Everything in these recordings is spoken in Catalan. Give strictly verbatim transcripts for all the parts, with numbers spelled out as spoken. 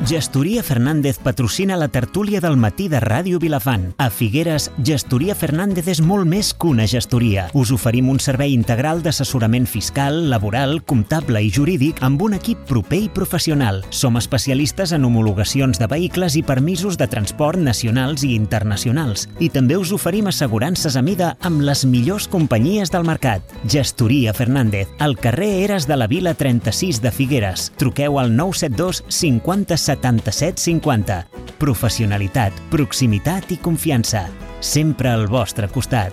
Gestoria Fernández patrocina la tertúlia del matí de Ràdio Vilafant. A Figueres, Gestoria Fernández és molt més que una gestoria. Us oferim un servei integral d'assessorament fiscal, laboral, comptable i jurídic amb un equip proper i professional. Som especialistes en homologacions de vehicles i permisos de transport nacionals i internacionals. I també us oferim assegurances a mida amb les millors companyies del mercat. Gestoria Fernández, al carrer Eres de la Vila trenta-sis de Figueres. Truqueu al nou set dos cinquanta setanta-set cinquanta. Professionalitat, proximitat i confiança. Sempre al vostre costat.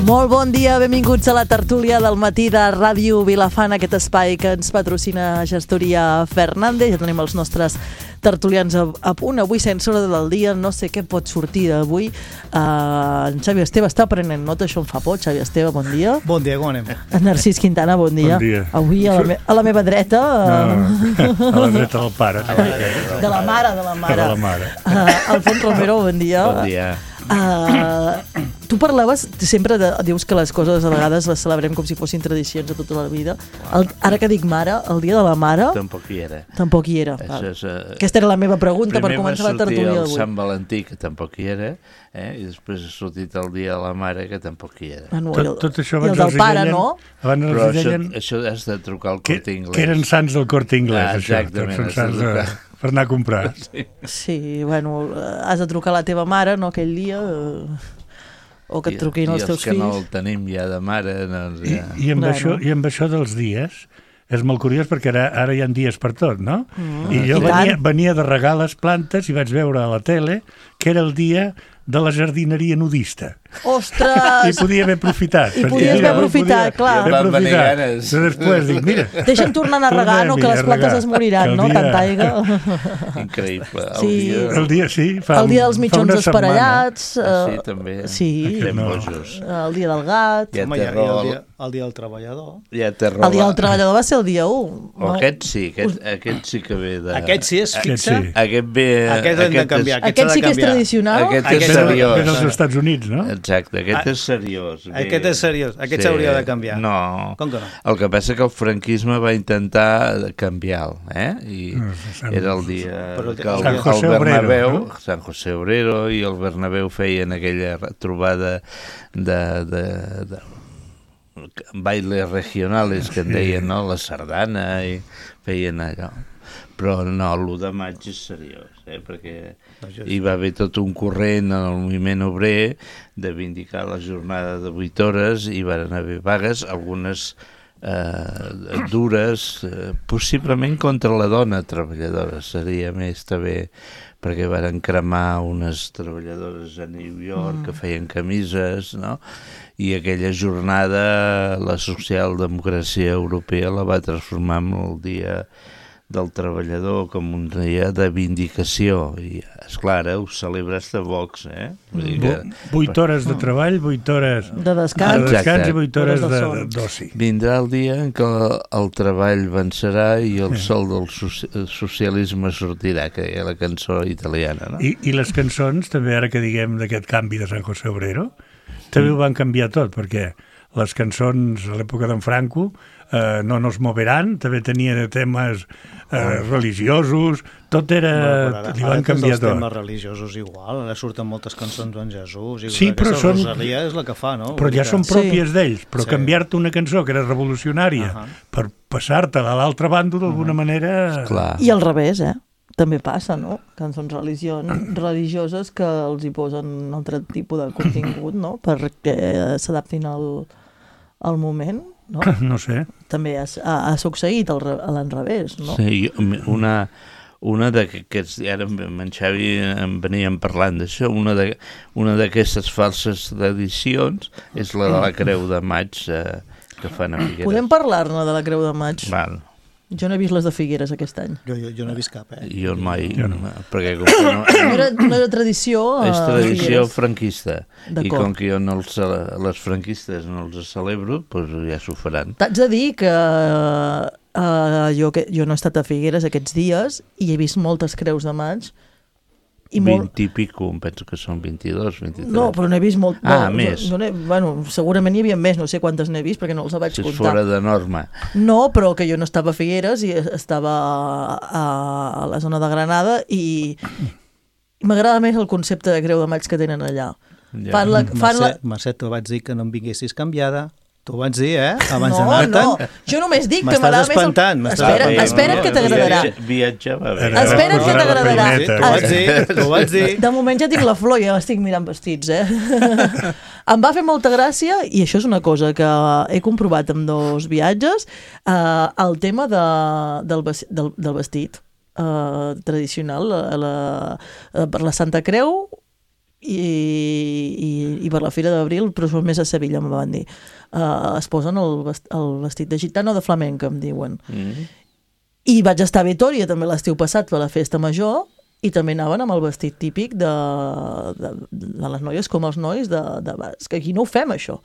Molt bon dia, benvinguts a la tertúlia del matí de Ràdio Vilafant, aquest espai que ens patrocina Gestoria Fernández. Ja tenim els nostres tertulians a, a punt. Avui, sense hora del dia, no sé què pot sortir d'avui. Uh, en Xavi Esteve està prenent nota, això em fa por. Xavi Esteve, bon dia. Bon dia, com anem? En Narcís Quintana, bon dia. Bon dia. Avui a la, me a la meva dreta... No, a la dreta del pare. De la mare, de la mare. De la mare. Uh, Alfons Romero, bon dia. Bon dia. Uh, tu parlaves, sempre de, dius que les coses a vegades les celebrem com si fossin tradicions de tota la vida. El, ara que dic mare, el dia de la mare tampoc hi era. Tampoc hi era. És, uh, Aquesta era la meva pregunta per començar la tertúlia d'avui. d'avui. El Sant Valentí, que tampoc hi era, eh? I després ha sortit el dia de la mare, que tampoc hi era. Ah, no, tot, el, tot això I el del pare, deien, no? Abans Però els això, deien això has de trucar al que, Corte Inglés. que eren sants del Corte Inglés, ah, això. Exactament. Tots són sants de, per anar a comprar. Sí. sí, bueno, has de trucar a la teva mare, no, aquell dia... Eh... o que et truquin I, els teus fills. I els que no el tenim ja de mare... Doncs ja... I, i, amb bueno. això, I amb això dels dies, és molt curiós perquè ara, ara hi ha dies per tot, no? Mm. I jo I venia, venia de regar les plantes i vaig veure a la tele que era el dia de la jardineria nudista. Ostres! I podia haver aprofitat. I podies haver aprofitat, clar. Ja van venir ganes. I després dic, mira... Deixa'm tornar a regar, no? Que les plantes es moriran, no? Dia... Tanta aigua. Increïble. El, sí. dia... el dia, sí. Fa el dia dels mitjons esparellats. Uh, sí, també. Sí. No. El dia del gat. Hi ha Home, terror. el, dia, el dia del treballador. Hi ha terror. El dia del treballador va ser el dia u. O aquest sí, aquest, aquest sí que ve de... Aquest sí és fixe. Aquest, sí. aquest ve... Aquest hem de canviar. Aquest, aquest sí que és tradicional. Aquest, aquest és seriós. Ve dels Estats Units, no? Exacte, aquest és seriós. Ve... Aquest és seriós. Aquest s'hauria sí. de canviar. No. Com que no? El que passa que el franquisme va intentar canviar-lo, eh? I no, Sant... era el dia Però que el, San José el Bernabéu, Obrero, no? San José Obrero i el Bernabéu feien aquella trobada de... de, de bailes regionals que en deien, no? La sardana i feien allò. Però no, l'u de maig és seriós, eh? Perquè hi va haver tot un corrent en el moviment obrer de vindicar la jornada de vuit hores i van haver vagues, algunes eh, dures, eh, possiblement contra la dona treballadora, seria més també perquè van cremar unes treballadores a New York mm. que feien camises, no? I aquella jornada la socialdemocràcia europea la va transformar en el dia del treballador com un dia de vindicació i esclar, ara ho celebres de Vox, eh? Vull dir que... vuit hores de treball, vuit hores de descans, de descans i vuit hores de d'oci. Vindrà el dia en què el treball vencerà i el sol del socialisme sortirà, que hi ha la cançó italiana, no? I, i les cançons, també ara que diguem d'aquest canvi de San José Obrero, també ho van canviar tot, perquè les cançons a l'època d'en Franco eh, no nos moveran, també tenia temes eh, religiosos, tot era... Bueno, ara, li van canviar tot. Els temes religiosos igual, ara surten moltes cançons en Jesús, i sí, però són... Rosalia és la que fa, no? Però ja són pròpies sí. d'ells, però sí. canviar-te una cançó que era revolucionària uh -huh. per passar-te a l'altre bàndol d'alguna uh -huh. manera... Clar. I al revés, eh? També passa, no? Cançons religions, religioses que els hi posen un altre tipus de contingut, no? Perquè s'adaptin al, al moment, no? No sé. També ha, ha succeït a l'enrevés, no? Sí, una... Una d'aquests, ara en Xavi en veníem parlant d'això, una d'aquestes falses edicions és la de la Creu de Maig eh, que fan a Figueres. Podem parlar-ne de la Creu de Maig? Val. Jo no he vist les de Figueres aquest any. Jo, jo, jo no he vist cap, eh? Jo mai, Jo no. perquè com que no, No era, no era tradició a és tradició Figueres. franquista, i D'acord. com que jo no els, cele- les franquistes no els celebro, doncs ja s'ho faran. T'haig de dir que uh, jo, que jo no he estat a Figueres aquests dies i he vist moltes creus de maig i molt... vint i pico, em penso que són vint-i-dos, vint-i-tres. No, però n'he vist molt... Ah, no, més. No, no bueno, segurament hi havia més, no sé quantes n'he vist perquè no els vaig Si és comptar. fora de norma. No, però que jo no estava a Figueres i estava a, a la zona de Granada i m'agrada més el concepte de creu de maig que tenen allà. Ja. Fan la, fan la... Mercè, Mercè, t'ho vaig dir que no em vinguessis canviada. T'ho vaig dir, eh? Abans No, d'anar-te'n. no, jo només dic que M'estàs m'agrada més... espantant, m'estàs Espera, espantant. espera't que t'agradarà. Viatge- Viatjava bé. Ara Espera't que posarà la t'agradarà. peineta. T'ho vaig dir, t'ho vaig dir. De moment ja tinc la flor, ja estic mirant vestits, eh? Em va fer molta gràcia, i això és una cosa que he comprovat amb dos viatges, eh, el tema de, del, ves- del, del vestit eh, tradicional la, la, eh, per la Santa Creu i, i, i per la Fira d'Abril, però són més a Sevilla, em van dir. Uh, es posen el, vest, el vestit de gitano o de flamenca, em diuen. Mm. I vaig estar a Vitòria també l'estiu passat per la festa major i també anaven amb el vestit típic de, de, de les noies com els nois de, de basc. Aquí no ho fem, això,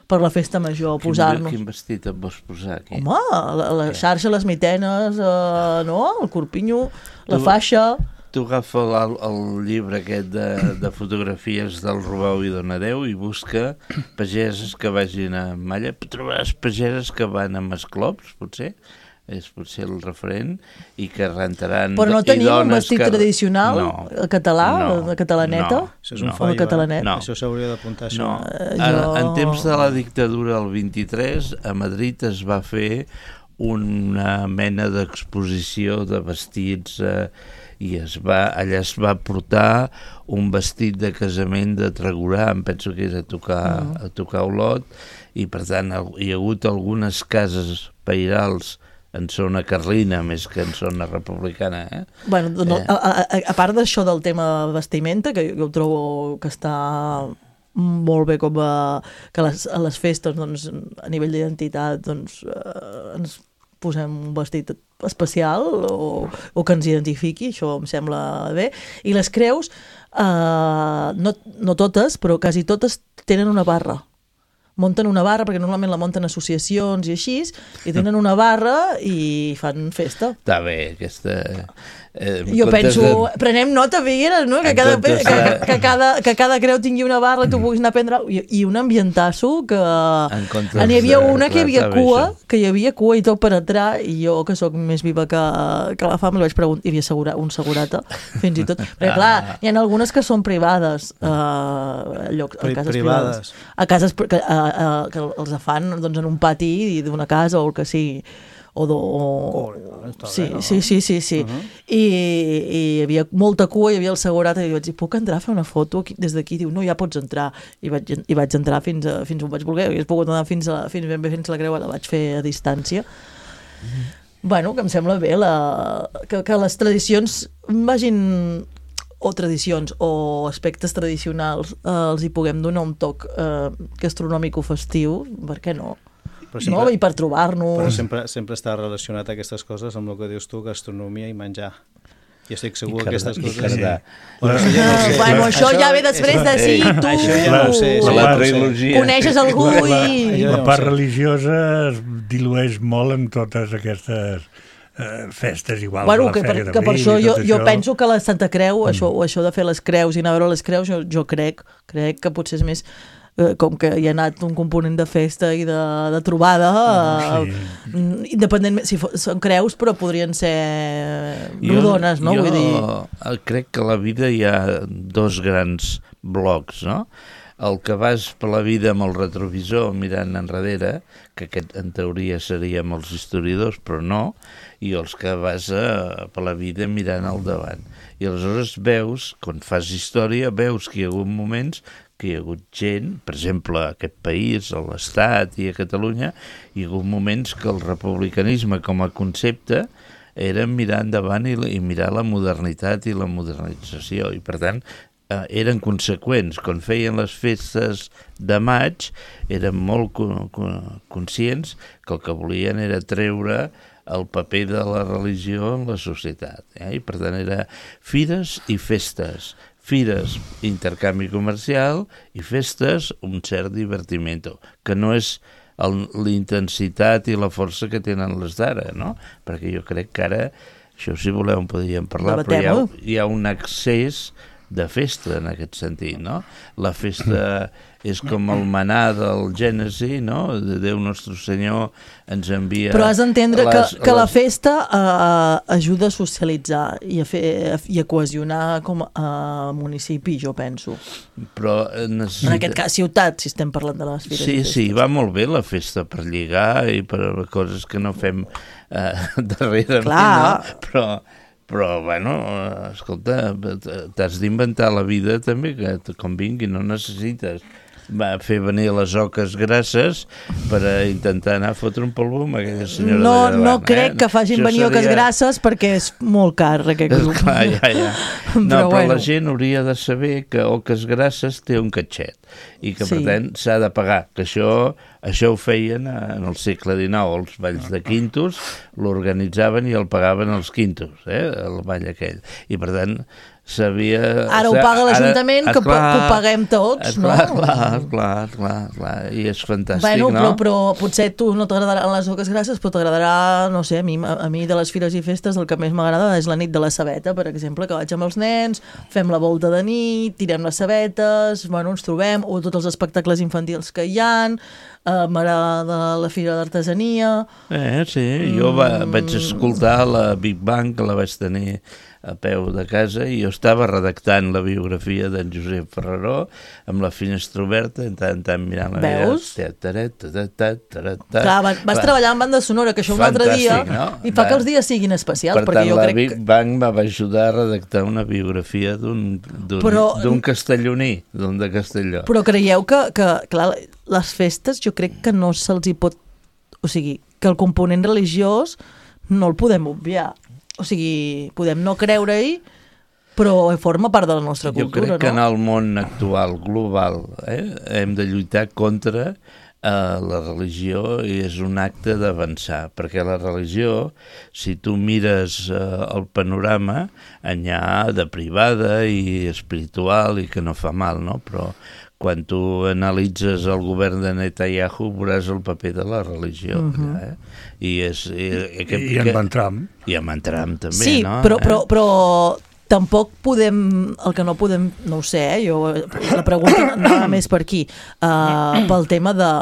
per la festa major, Quin, posar-nos. quin vestit et vols posar aquí? Home, la, la xarxa, les mitenes, uh, no? El corpinyo, la Tu- faixa... Tu agafa el, el llibre aquest de, de fotografies del Robau i Donadeu i busca pageses que vagin a malla. Trobaràs pageses que van amb esclops, potser, és potser el referent, i que rentaran... Però no i tenim un dones vestit que... tradicional no, català, no, de catalaneta? no, Això és un no. fallo, El catalanet. eh? No. Això s'hauria d'apuntar, això. No, Eh, en, jo- en temps de la dictadura del vint-i-tres a Madrid es va fer una mena d'exposició de vestits eh, i es va, allà es va portar un vestit de casament de Tregurà, em penso que és a tocar, Mm. a tocar Olot, i per tant hi ha hagut algunes cases pairals en zona carlina més que en zona republicana, eh? Bueno, no, Eh. a, a, a part d'això del tema vestimenta, que jo trobo que està molt bé com a, que a les, a les festes doncs, a nivell d'identitat doncs, eh, ens posem un vestit especial o, o que ens identifiqui, això em sembla bé. I les creus, eh, no, no totes, però quasi totes tenen una barra. Munten una barra, perquè normalment la munten associacions i així, i tenen una barra i fan festa. Està bé, aquesta... Eh, en Jo comptes penso, de- prenem nota, Figueres, no? Que En cada, comptes que, de- que, cada, que cada creu tingui una barra i tu puguis anar a prendre... I, i un ambientasso que... En comptes N'hi havia de- una que hi havia clar, està bé, cua, això. que hi havia cua i tot per entrar, i jo, que sóc més viva que, que la fam, li vaig preguntar, hi havia segura, un segurata, fins i tot. Perquè, clar, hi ha algunes que són privades, eh, a llocs, a Pri- cases privades. privades. A cases pri- que, a, a, que els fan doncs, en un pati d'una casa o el que sigui. O do, o... Oh, està sí, bé, no? sí, sí, sí, sí. Uh -huh. I, i hi havia molta cua, hi havia el segurat i vaig dir, puc entrar a fer una foto aquí, des d'aquí? Diu, no, ja pots entrar. I vaig, i vaig entrar fins, a, fins on vaig voler. Hauria pogut anar fins, a, fins ben bé fins a la creu, la vaig fer a distància. Mm. Bueno, que em sembla bé la, que, que les tradicions vagin o tradicions o aspectes tradicionals eh, els hi puguem donar un toc eh, gastronòmic o festiu, per què no? Però No? I per trobar-nos... Però sempre, sempre està relacionat aquestes coses amb el que dius tu, gastronomia i menjar. Jo estic segur que aquestes I coses... cardar. Bueno, això ja no ho sé. Bueno, això ja ve després de sí, Ei, tu. això ja no ho sé, La, això la ja no ho sé. trilogia. Coneixes algú La, la, i... la no part sé. religiosa es dilueix molt en totes aquestes eh, festes igual. Bueno, la que per, Fèria que per d'Abril això i jo, tot jo això. penso que la Santa Creu, això, o això de fer les creus i anar a veure les creus, jo, jo crec, crec que potser és més eh, com que hi ha anat un component de festa i de, de trobada, eh, Sí. independentment, si fo- són creus, però podrien ser rodones, no? Jo, Vull dir... jo crec que a la vida hi ha dos grans blocs, no? El que vas per la vida amb el retrovisor mirant enrere, que aquest en teoria seria amb els historiadors, però no, i els que vas a, per la vida mirant al davant. I aleshores veus, quan fas història, veus que hi ha hagut moments que hi ha hagut gent, per exemple, a aquest país, a l'Estat i a Catalunya, hi ha hagut moments que el republicanisme com a concepte era mirar endavant i, i mirar la modernitat i la modernització, i per tant eh, eren conseqüents. Quan feien les festes de maig eren molt co co conscients que el que volien era treure el paper de la religió en la societat. Eh? I per tant era fires i festes. Fires, intercanvi comercial, i festes, un cert divertimento, que no és l'intensitat i la força que tenen les d'ara, no? Perquè jo crec que ara, això si voleu en podríem parlar, però hi ha, hi ha un excés de festa en aquest sentit, no? La festa és com el manà del Gènesi, no? De Déu Nostre Senyor ens envia... Però has d'entendre les, que, que les... la festa uh, ajuda a socialitzar i a, fer, i a cohesionar com a municipi, jo penso. Però necessita... En aquest cas, ciutat, si estem parlant de les fires. Sí, sí, va molt bé la festa per lligar i per coses que no fem uh, darrerament, no? Però... Però, bueno, escolta, t'has d'inventar la vida també, que et convingui, no necessites va fer venir les oques grasses per a intentar anar a fotre un polvo amb aquella senyora no, d'allà davant. No crec eh? que facin Això venir seria... oques grasses perquè és molt car aquest grup. Clar, ja, ja. No, però, però bueno. La gent hauria de saber que oques grasses té un catxet i que, sí. per tant, s'ha de pagar. Que això, això ho feien en el segle dinou, els balls de quintos, l'organitzaven i el pagaven els quintos, eh? El ball aquell. I, per tant, sabia... Ara ho paga l'Ajuntament, que, que ho paguem tots, no? Clar, clar, clar, clar, clar, i és fantàstic, bueno, no? Però, però potser tu no t'agradaran les oques grasses, però t'agradarà, no sé, a mi, a mi de les fires i festes el que més m'agrada és la nit de la sabeta, per exemple, que vaig amb els nens, fem la volta de nit, tirem les sabetes, bueno, ens trobem, o tots els espectacles infantils que hi ha, eh, m'agrada la fira d'artesania... Eh, sí, jo va, mm. vaig escoltar la Big Bang, que la vaig tenir a peu de casa, i jo estava redactant la biografia d'en Josep Ferreró amb la finestra oberta, en tant, en tant mirant la Veus? Vida. Clar, vas, vas treballar en banda sonora, que això un altre dia, no? I fa que els dies siguin especials. Per perquè tant, jo la crec Big Bang va ajudar a redactar una biografia d'un Però... castelloní, d'un de Castelló. Però creieu que, que, clar, les festes jo crec que no se'ls hi pot... O sigui, que el component religiós no el podem obviar. O sigui, podem no creure-hi, però forma part de la nostra cultura, no? Jo crec que en el món actual, global, eh, hem de lluitar contra eh, la religió, i és un acte d'avançar, perquè la religió, si tu mires eh, el panorama, n'hi ha de privada i espiritual i que no fa mal, no? Però quan tu analitzes el govern de Netanyahu veuràs el paper de la religió. Uh-huh. eh? I, és, i, I, que, I en Van Trump. I en Van Trump també, sí, no? Sí, però, eh? però, però tampoc podem, el que no podem, no ho sé, eh? jo, la pregunta anava més per aquí, uh, pel tema de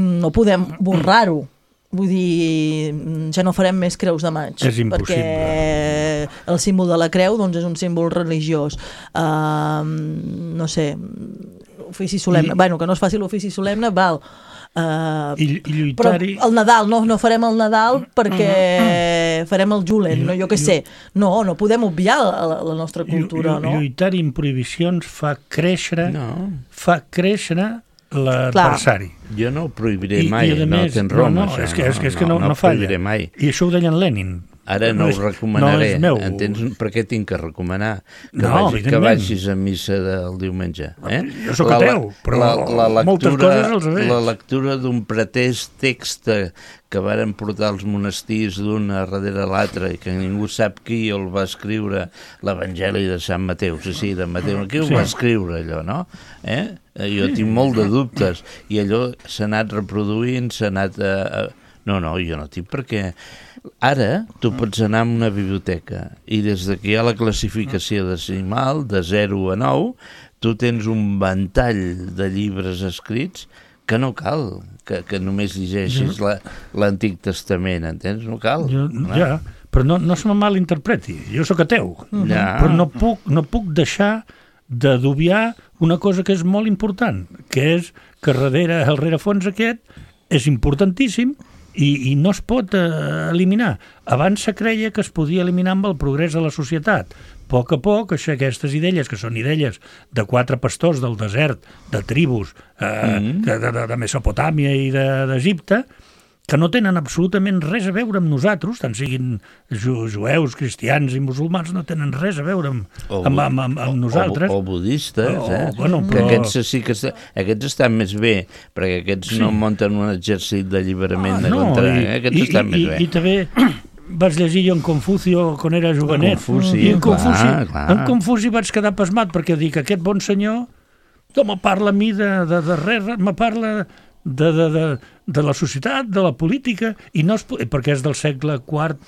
no podem borrar-ho. Vull dir, ja no farem més creus de maig. És impossible. Perquè el símbol de la creu doncs, és un símbol religiós. Uh, no sé, ofici solemne. I... Bueno, que no es faci l'ofici solemne, val. Uh, I, i lluitar-hi... Però el Nadal, no, no farem el Nadal perquè farem el Julen, no, jo què sé. No, no podem obviar la, la nostra cultura, no? Lluitar-hi amb prohibicions fa créixer, no. fa créixer l'adversari. Jo no ho prohibiré mai, I, i no tens raó. No, no, és que, és que, és que no, no, no, no falla. Mai. I això ho deia en Lenin. Ara no, no ho recomanaré. No entens per què tinc que recomanar? Que, no, vagi, que vagis a missa del diumenge. Eh? Jo sóc ateu, però la, la lectura, moltes coses els veig. La lectura d'un pretès text que varen portar els monestirs d'un darrere l'altre i que ningú sap qui el va escriure, l'Evangeli de Sant Mateu, sí, sí, de Mateu. Qui sí. ho va escriure, allò, no? Eh? Jo tinc molt de dubtes i allò s'ha anat reproduint, s'ha anat... A... No, no, jo no tinc, perquè ara tu pots anar a una biblioteca i des que hi ha la classificació decimal de zero a nou, tu tens un ventall de llibres escrits que no cal que, que només llegeixis l'Antic Testament, entens? No cal. Jo, no? Ja, però no, no se me malinterpreti, jo sóc ateu, uh-huh. ja. però no puc, no puc deixar de dubiar una cosa que és molt important, que és que darrere el rerefons aquest és importantíssim i, i no es pot eh, eliminar. Abans se creia que es podia eliminar amb el progrés de la societat. A poc a poc, això, aquestes idees, que són idees de quatre pastors del desert, de tribus eh, mm-hmm. de, de, de Mesopotàmia i d'Egipte, que no tenen absolutament res a veure amb nosaltres, tant siguin ju jueus, cristians i musulmans, no tenen res a veure amb, O, amb, amb, amb, amb nosaltres. O, o budistes, O- eh? bueno, Que però- aquests sí que est- aquests estan més bé, perquè aquests Sí. no munten un exèrcit d'alliberament Ah, de no, contra, i, eh? Aquests i, estan i, més i, bé. i també vaig llegir jo en Confucio quan era jovenet. Confuci, I en clar, Confuci, clar. en Confuci vaig quedar pasmat perquè dic, aquest bon senyor no me parla a mi de, de, de res, me parla de, de, de, de la societat, de la política, i no es, pu- perquè és del segle quart,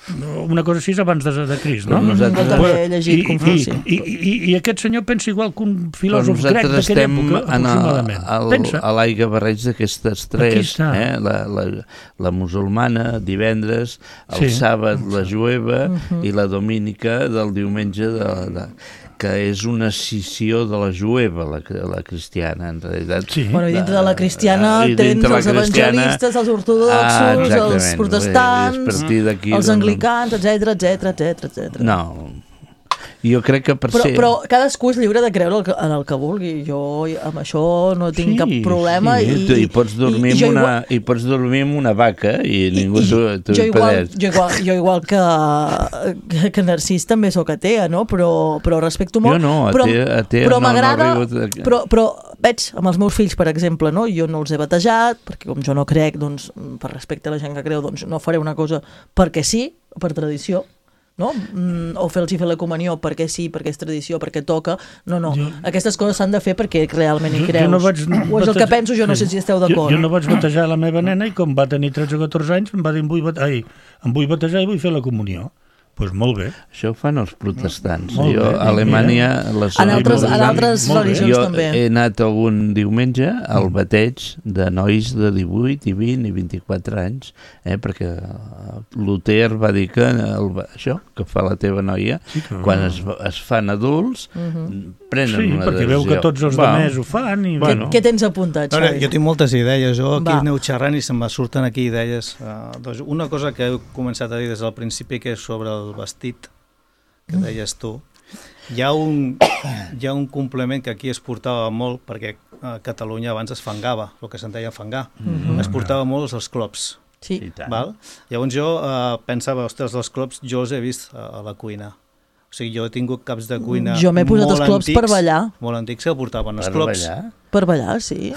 una cosa així abans de, de Crist, no? Però nosaltres- Jo també he llegit I, Confuci. i, i, i, I aquest senyor pensa igual que un Però filòsof grec nosaltres d'aquella estem època, en el, aproximadament. el, Pensa. a l'aigua barreig d'aquestes Aquí tres, està. eh? la, la, la musulmana divendres, el Sí. sàbat la jueva i la domínica del diumenge de, de, que és una escissió de la jueva, la, la cristiana, en realitat. Sí. Bueno, i dintre de la cristiana Ah, i tens dintre la els cristiana- evangelistes, els Ah, ortodoxos, exactament. els És protestants, a partir d'aquí, els doncs, anglicans, etc etc etc etc. No, jo crec que per Però, ser... però cadascú és lliure de creure el que, en el que vulgui. Jo amb això no tinc Sí, cap problema. sí, i, tu- i, pots dormir i jo amb una, igual- i pots dormir amb una vaca i ningú i- t'ho t'ho jo igual, impedeix. jo, igual, jo igual que, que, que Narcís també sóc atea, no? Però, però respecto molt. Jo no, però, atea- atea però no- no m'agrada, arribo a- però, però veig amb els meus fills, per exemple, no? Jo no els he batejat, perquè com jo no crec, doncs, per respecte a la gent que creu, doncs no faré una cosa perquè sí, per tradició, no? Mm, o fer-los fer la comunió perquè sí, perquè és tradició, perquè toca. No, no. Jo- Aquestes coses s'han de fer perquè realment hi Jo- jo creus. no vaig o és el que batejar- penso, jo no sé si esteu Jo, d'acord. jo no vaig batejar la meva nena i com va tenir tretze o catorze anys em va dir em vull, bate... Ai, em vull batejar i vull fer la comunió. Doncs pues molt bé. Això ho fan els protestants. Molt jo bé, a Alemanya... Les En altres, en molt bé. altres Molt bé. religions jo també. he anat algun diumenge al bateig de nois de divuit, i vint i vint-i-quatre anys, eh, perquè eh, Luther va dir que el, això que fa la teva noia, Sí, que- quan es, es fan adults, prenen Sí, una perquè decisió. veu que tots els Va, demés ho fan i... Bueno. Què tens apuntat, A veure, Xavi? jo tinc moltes idees, jo aquí Va. aneu xerrant i se'm surten aquí idees. Uh, doncs una cosa que he començat a dir des del principi, que és sobre el vestit, que deies tu. Hi ha un, hi ha un complement que aquí es portava molt, perquè a Catalunya abans es fangava, el que se'n deia fangar. Mm -hmm. Es portava molt als clops. Sí. I tant. Val? Llavors jo uh, pensava, ostres, els clops jo els he vist a, a la cuina. O sigui, jo he tingut caps de cuina Jo m'he posat molt els clops antics, per ballar. molt antics que portaven els Per clops. ballar? Per ballar, sí.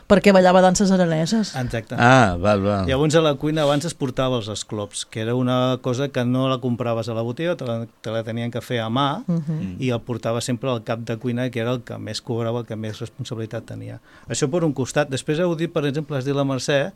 Perquè ballava danses araneses. Exacte. Ah, val, val. Llavors a la cuina abans es portava els esclops, que era una cosa que no la compraves a la botiga, te la, te la tenien que fer a mà, Uh -huh. i el portava sempre al cap de cuina, que era el que més cobrava, el que més responsabilitat tenia. Això per un costat. Després heu dit, per exemple, has dit la Mercè,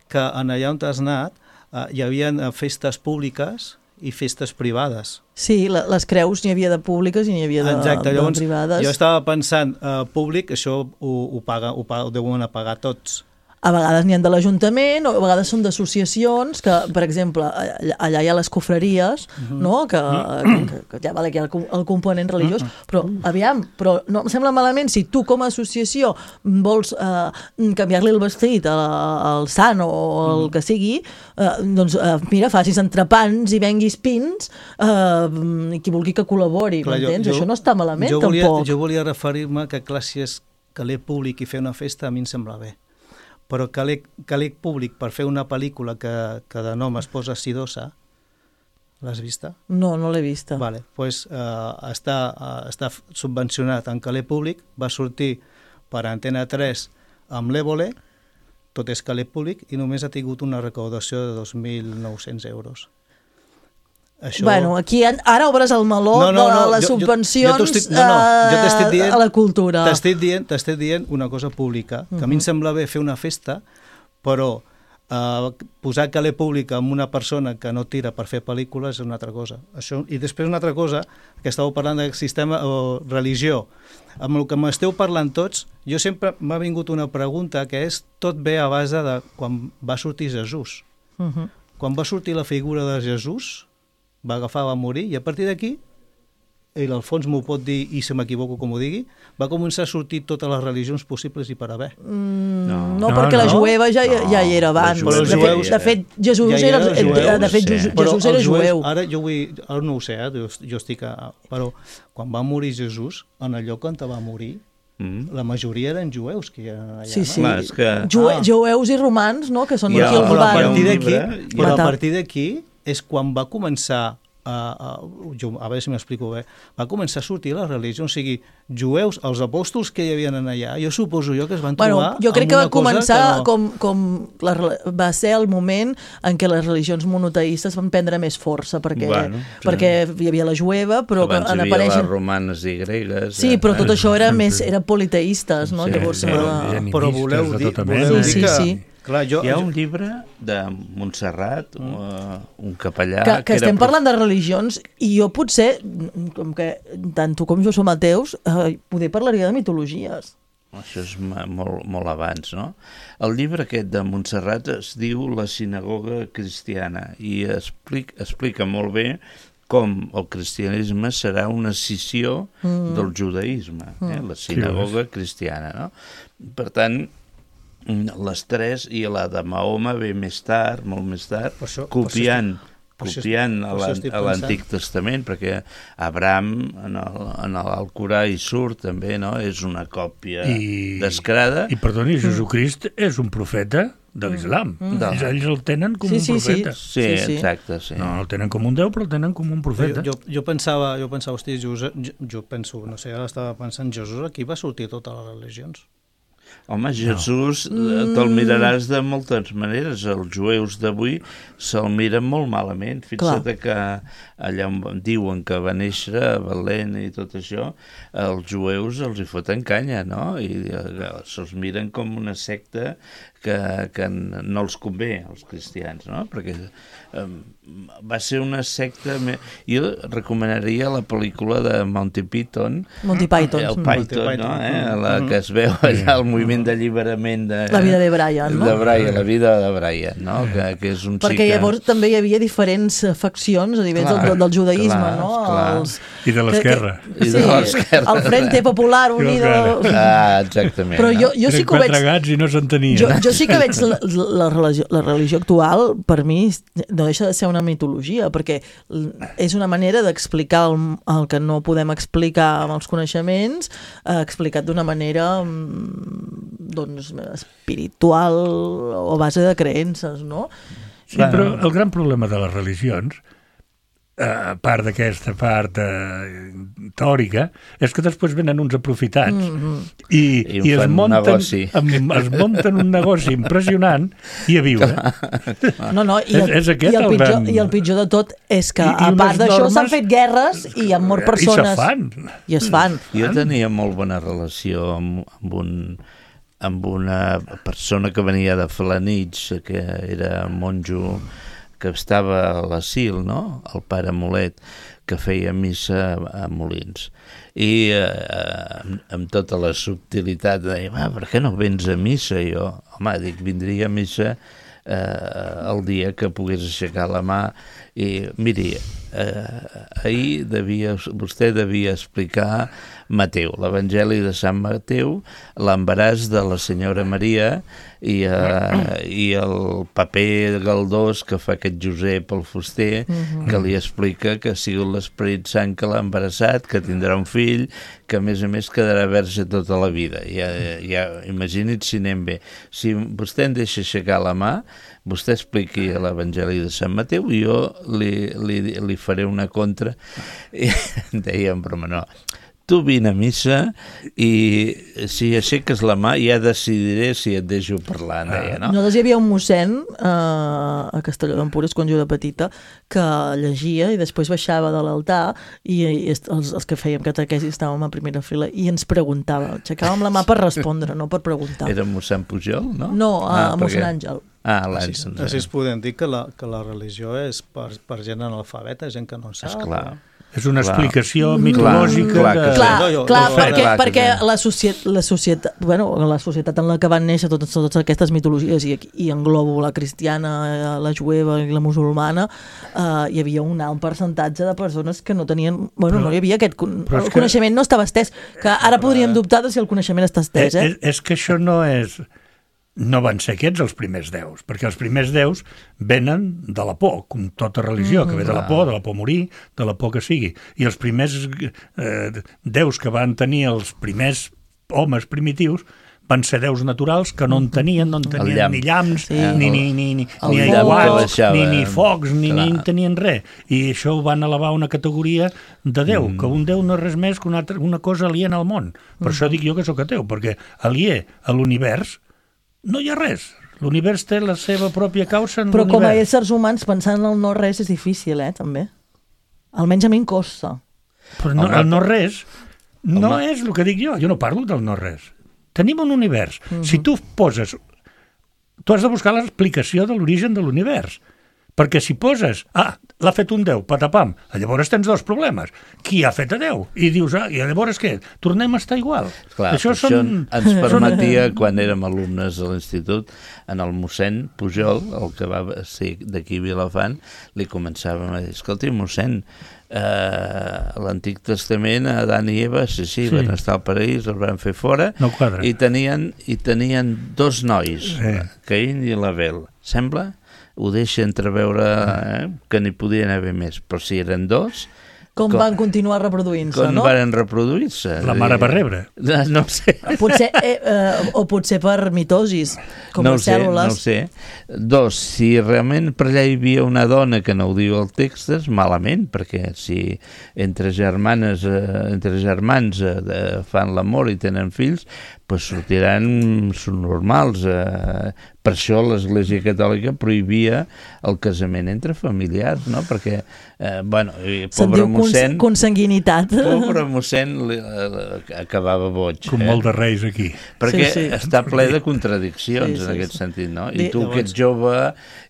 que en allà on t'has anat eh, hi havia eh, festes públiques i festes privades. Sí, la, les creus n'hi havia de públiques i n'hi havia de, Exacte, de llavors privades. jo estava pensant, eh, públic, això ho, ho, paga, ho, paga, ho deuen pagar tots. A vegades n'hi ha de l'Ajuntament, o a vegades són d'associacions, que, per exemple, allà, allà hi ha les cofreries, no? que, que, que ja vale que hi ha el, com- el component religiós, però, aviam, però no em sembla malament si tu com a associació vols eh, canviar-li el vestit a- al sant o el que sigui, eh, doncs eh, mira, facis entrepans i venguis pins, eh, i qui vulgui que col·labori, Clar, jo- m'entens? jo- Això no està malament, jo volia, tampoc. Jo volia referir-me que, clar, si és caler públic i fer una festa, a mi em sembla bé. Però caler, caler públic per fer una pel·lícula que, que de nom es posa Sidosa, l'has vista? No, no l'he vista. Vale, pues, eh, està, eh, està subvencionat en caler públic, va sortir per Antena tres amb l'Évole, tot és caler públic, i només ha tingut una recaudació de dos mil nou-cents euros. Això... Bueno, aquí en- ara obres el meló No, no, no, de les jo- jo- subvencions jo t'estic- no, no, jo t'estic eh, dient- a la cultura. T'estic dient, t'estic dient una cosa pública, que a mi em sembla bé fer una festa, però eh, posar caler públic amb una persona que no tira per fer pel·lícules és una altra cosa. Això, i després una altra cosa, que estàveu parlant del sistema o religió. Amb el que m'esteu parlant tots, jo sempre m'ha vingut una pregunta que és, tot ve a base de quan va sortir Jesús. Uh -huh. Quan va sortir la figura de Jesús, va agafar, va morir, i a partir d'aquí, i l'Alfons m'ho pot dir, i si m'equivoco com ho digui, va començar a sortir totes les religions possibles i per haver. Mm, no, No. no, perquè No, la no. jueva ja, ja, ja hi era No, abans. però els de, jueus- fet, de fet, Jesús Ja hi era, eren eh, jueus, de fet, sí. Jesús, Però Jesús era els jueus- jueu. Ara jo, vull, ara no ho sé, eh, jo, jo estic a, però quan va morir Jesús, en el lloc on va morir, Mm. La majoria eren jueus que hi eren allà, Sí, no? sí. Clar, és que... Jue Ah. Jueus i romans, no?, que són Hi ha- aquí els Però a Hi ha un partir van... d'aquí, llibre- però a Matar. partir d'aquí és quan va començar a, a, jo, a veure si m'explico bé, va començar a sortir la religió, o sigui, jueus, els apòstols que hi havien allà, jo suposo jo que es van Bueno, trobar jo crec amb que va una cosa començar que no... com, com la, rela- va ser el moment en què les religions monoteistes van prendre més força, perquè, Bueno, sí. perquè hi havia la jueva, però que Abans en hi havia apareixen... les romanes i gregues. Sí, eh? però tot eh, això era sí. més era politeistes, no? Sí, Llavors, sí, eh, sí. Però voleu de dir, tota voleu mena. dir Sí, que... sí, sí. Clar, jo, Hi ha jo, un llibre de Montserrat, mm. uh, un capellà... que, que era estem prof- parlant de religions i jo potser, com que tant tu com jo som ateus, eh, poder parlaria de mitologies. Això és ma- molt, molt abans, no? El llibre aquest de Montserrat es diu La sinagoga cristiana i explica, explica molt bé com el cristianisme serà una escissió mm. del judaïsme, eh? La sinagoga cristiana, no? Per tant, les tres, i la de Mahoma ve més tard, molt més tard, Per això- copiant, per això estic- copiant per a això l'an- estic a l'Antic Testament, perquè Abraham en el- en l'Alcorà hi surt també, no? És una còpia I- descarada. I perdoni, Jesucrist és un profeta de l'islam. Mm. Ells, ells el tenen com Sí, un sí, sí. profeta. Sí, Sí, sí. exacte, sí. No, el tenen com un déu, però el tenen com un profeta. jo, jo pensava, jo pensava, hosti, Josep, jo, jo penso, no sé, ara estava pensant, Jesús aquí va sortir totes les religions. Home, Jesús no. te'l miraràs de moltes maneres. Els jueus d'avui se'l miren molt malament. Fixa't Clar. que allà on diuen que va néixer a Belén i tot això, els jueus els hi foten canya, no? I eh, se'ls miren com una secta que, que no els convé, als cristians, no? Perquè eh, va ser una secta... Me... Jo recomanaria la pel·lícula de Monty Python, Monty Python. el Mm. Python, Monty no? Python. Eh? La que es veu allà, el moviment d'alliberament de... La vida de Brian, no? De Brian, la vida de Brian, no? Que, que és un Perquè xic... llavors també hi havia diferents eh, faccions a nivell Clar, del, del judaïsme, clar, no? clar. Els... I de l'esquerra. que- que- I de l'esquerra. El Frente Popular Unido... Ah, exactament. Però jo, no? jo sí Eren que ho veig... quatre gats i no s'entenien. Jo, jo sí que veig la, la, religió, la religió actual, per mi, no deixa de ser una mitologia, perquè és una manera d'explicar el, el que no podem explicar amb els coneixements, eh, explicat d'una manera mm, doncs, espiritual o a base de creences, no? Sí, però el gran problema de les religions, eh, a part d'aquesta part eh, teòrica, és que després venen uns aprofitats Mm-hmm. i, I en i es, fan un munten, negoci. amb, es munten un negoci impressionant i a viure. No, no, i el, És- és aquest i el, el pitjor, gran- i el pitjor de tot és que, I- i a part unes d'això, normes- s'han fet guerres i han mort persones. I se fan. I es fan. Jo tenia molt bona relació amb, amb, un, amb una persona que venia de Felanitx, que era monjo, que estava a l'asil, no? El pare Molet, que feia missa a Molins. I eh, amb, amb tota la subtilitat deia, ah, per què no vens a missa? I jo, home, dic, vindria a missa eh, el dia que pogués aixecar la mà. I miri, eh, ahir devia, vostè devia explicar Mateu, l'Evangeli de Sant Mateu, l'embaràs de la senyora Maria i, eh, i el paper galdós que fa aquest Josep el fuster, uh-huh. que li explica que ha sigut l'Esperit Sant que l'ha embarassat, que tindrà un fill, que a més a més quedarà verge tota la vida. Ja, ja, imagini't si anem bé. Si vostè em deixa aixecar la mà, vostè expliqui l'Evangeli de Sant Mateu i jo li, li, li faré una contra. I em deia en broma, no, tu vine a missa i si aixeques la mà ja decidiré si et deixo parlar, deia, no? Nosaltres hi havia un mossèn eh, a Castelló d'Empúries, quan jo era petita, que llegia i després baixava de l'altar i, i els, els que fèiem catequesi estàvem a primera fila i ens preguntava, aixecàvem la mà per respondre, no per preguntar. Era mossèn Pujol, no? No, a Ah, mossèn perquè- Àngel. Ah, Així, l'Àngel. així es podem dir que la, que la religió és per, per gent analfabeta, gent que no en sap. Esclar. És una Clar. explicació Mm. mitològica Clar, clar de... que sí. Clar, no, jo- clar no, perquè, clar que perquè sí. la, societat, la, societat, bueno, la societat en la que van néixer totes, totes aquestes mitologies i, i englobo la cristiana, la jueva i la musulmana, eh, hi havia un alt percentatge de persones que no tenien... Bueno, Però- no hi havia aquest... con- però és El que- coneixement no estava estès, que ara podríem dubtar de si el coneixement està estès, És, eh? és, és que això no és... No van ser aquests els primers déus, perquè els primers déus venen de la por, com tota religió, que ve de la por, de la por a morir, de la por que sigui. I els primers eh, déus que van tenir els primers homes primitius van ser déus naturals que no en tenien, no en tenien llamp. ni llamps, Sí. ni, ni, ni, ni, El ni foc. aiguats, Que ni, ni baixava. focs, ni, ni Clar. en tenien res. I això ho van elevar a una categoria de Déu, mm. que un Déu no és res més que una, altra, una cosa aliena al món. Per mm. això dic jo que sóc ateu, perquè aliè a l'univers no hi ha res. L'univers té la seva pròpia causa en Però com a l'univers. éssers humans, pensant en el no res és difícil, eh, també. Almenys a mi em costa. Però no, Home, el no res no home. és el que dic jo. Jo no parlo del no res. Tenim un univers. Uh-huh. Si tu poses... Tu has de buscar l'explicació de l'origen de l'univers. Perquè si poses... Ah, l'ha fet un Déu, patapam. Llavors tens dos problemes. Qui ha fet a Déu? I dius, ah, i llavors què? Tornem a estar igual. Clar, això, això són... ens permetia, quan érem alumnes a l'institut, en el mossèn Pujol, el que va ser d'aquí a Vilafant, li començàvem a dir, escolti, mossèn, eh, l'Antic Testament, Adán i Eva, sí, sí, Sí. van estar al paraís, els van fer fora, No quadra. i tenien, i tenien dos nois, Sí. Caín i l'Abel. Sembla? Ho deixa entreveure eh, que n'hi podien haver més, però si eren dos, Com, Com- van continuar reproduint-se, com no? varen reproduir-se? La mare va rebre. No, no ho sé. Potser, eh, eh, o potser per mitosis, com no les ho sé, cèl·lules. No ho sé. Dos, si realment per allà hi havia una dona que no ho diu el text, és malament, perquè si entre germanes, eh, entre germans eh, de, fan l'amor i tenen fills, pues sortiran normals. Eh, per això l'Església Catòlica prohibia el casament entre familiars, no? Perquè, eh, bueno, i Se'n pobre diu cons mossèn... consanguinitat. Pobre mossèn li, li, acabava boig. Com eh? molt de reis aquí. Perquè Sí, sí. està ple de contradiccions Sí, sí, en aquest sí. sentit, no? Di- I tu que ets jove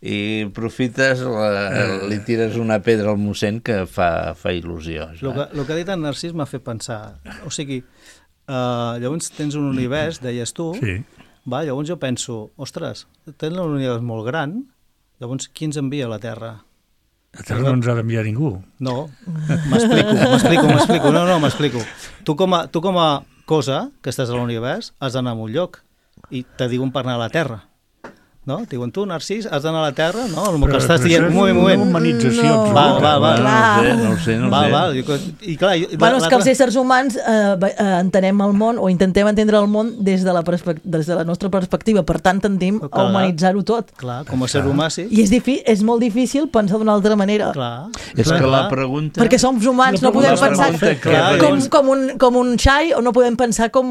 i profites, la, li tires una pedra al mossèn que fa, fa il·lusió. El que, el que ha dit en Narcís m'ha fet pensar. O sigui, uh, llavors tens un univers, deies tu, Sí. va, llavors jo penso, ostres, tens un univers molt gran, llavors qui ens envia a la Terra? A Terra no ens ha d'enviar ningú. No, m'explico, m'explico, m'explico, no, no, m'explico. Tu com a, tu com a cosa que estàs a l'univers has d'anar a un lloc i te diuen per anar a la Terra. No? Diuen, tu, Narcís, has d'anar a la Terra? No? El que estàs dient, un moment, un Una moment. humanització No. absoluta. Val, val, val. No ho sé, no ho sé, no ho Val, sé. val, jo, i clar, i, Bueno, és que els l'altre- éssers humans eh, ve- eh, entenem el món o intentem entendre el món des de la, perspec- des de la nostra perspectiva, per tant tendim a Clar. humanitzar-ho tot. Clar, com a ser humà, sí. I és, difi és molt difícil pensar d'una altra manera. Clar. És clar, que la clar. pregunta... Perquè som humans, La no podem la pensar pregunta que- Clar, com, llavors- com, un, com un xai o no podem pensar com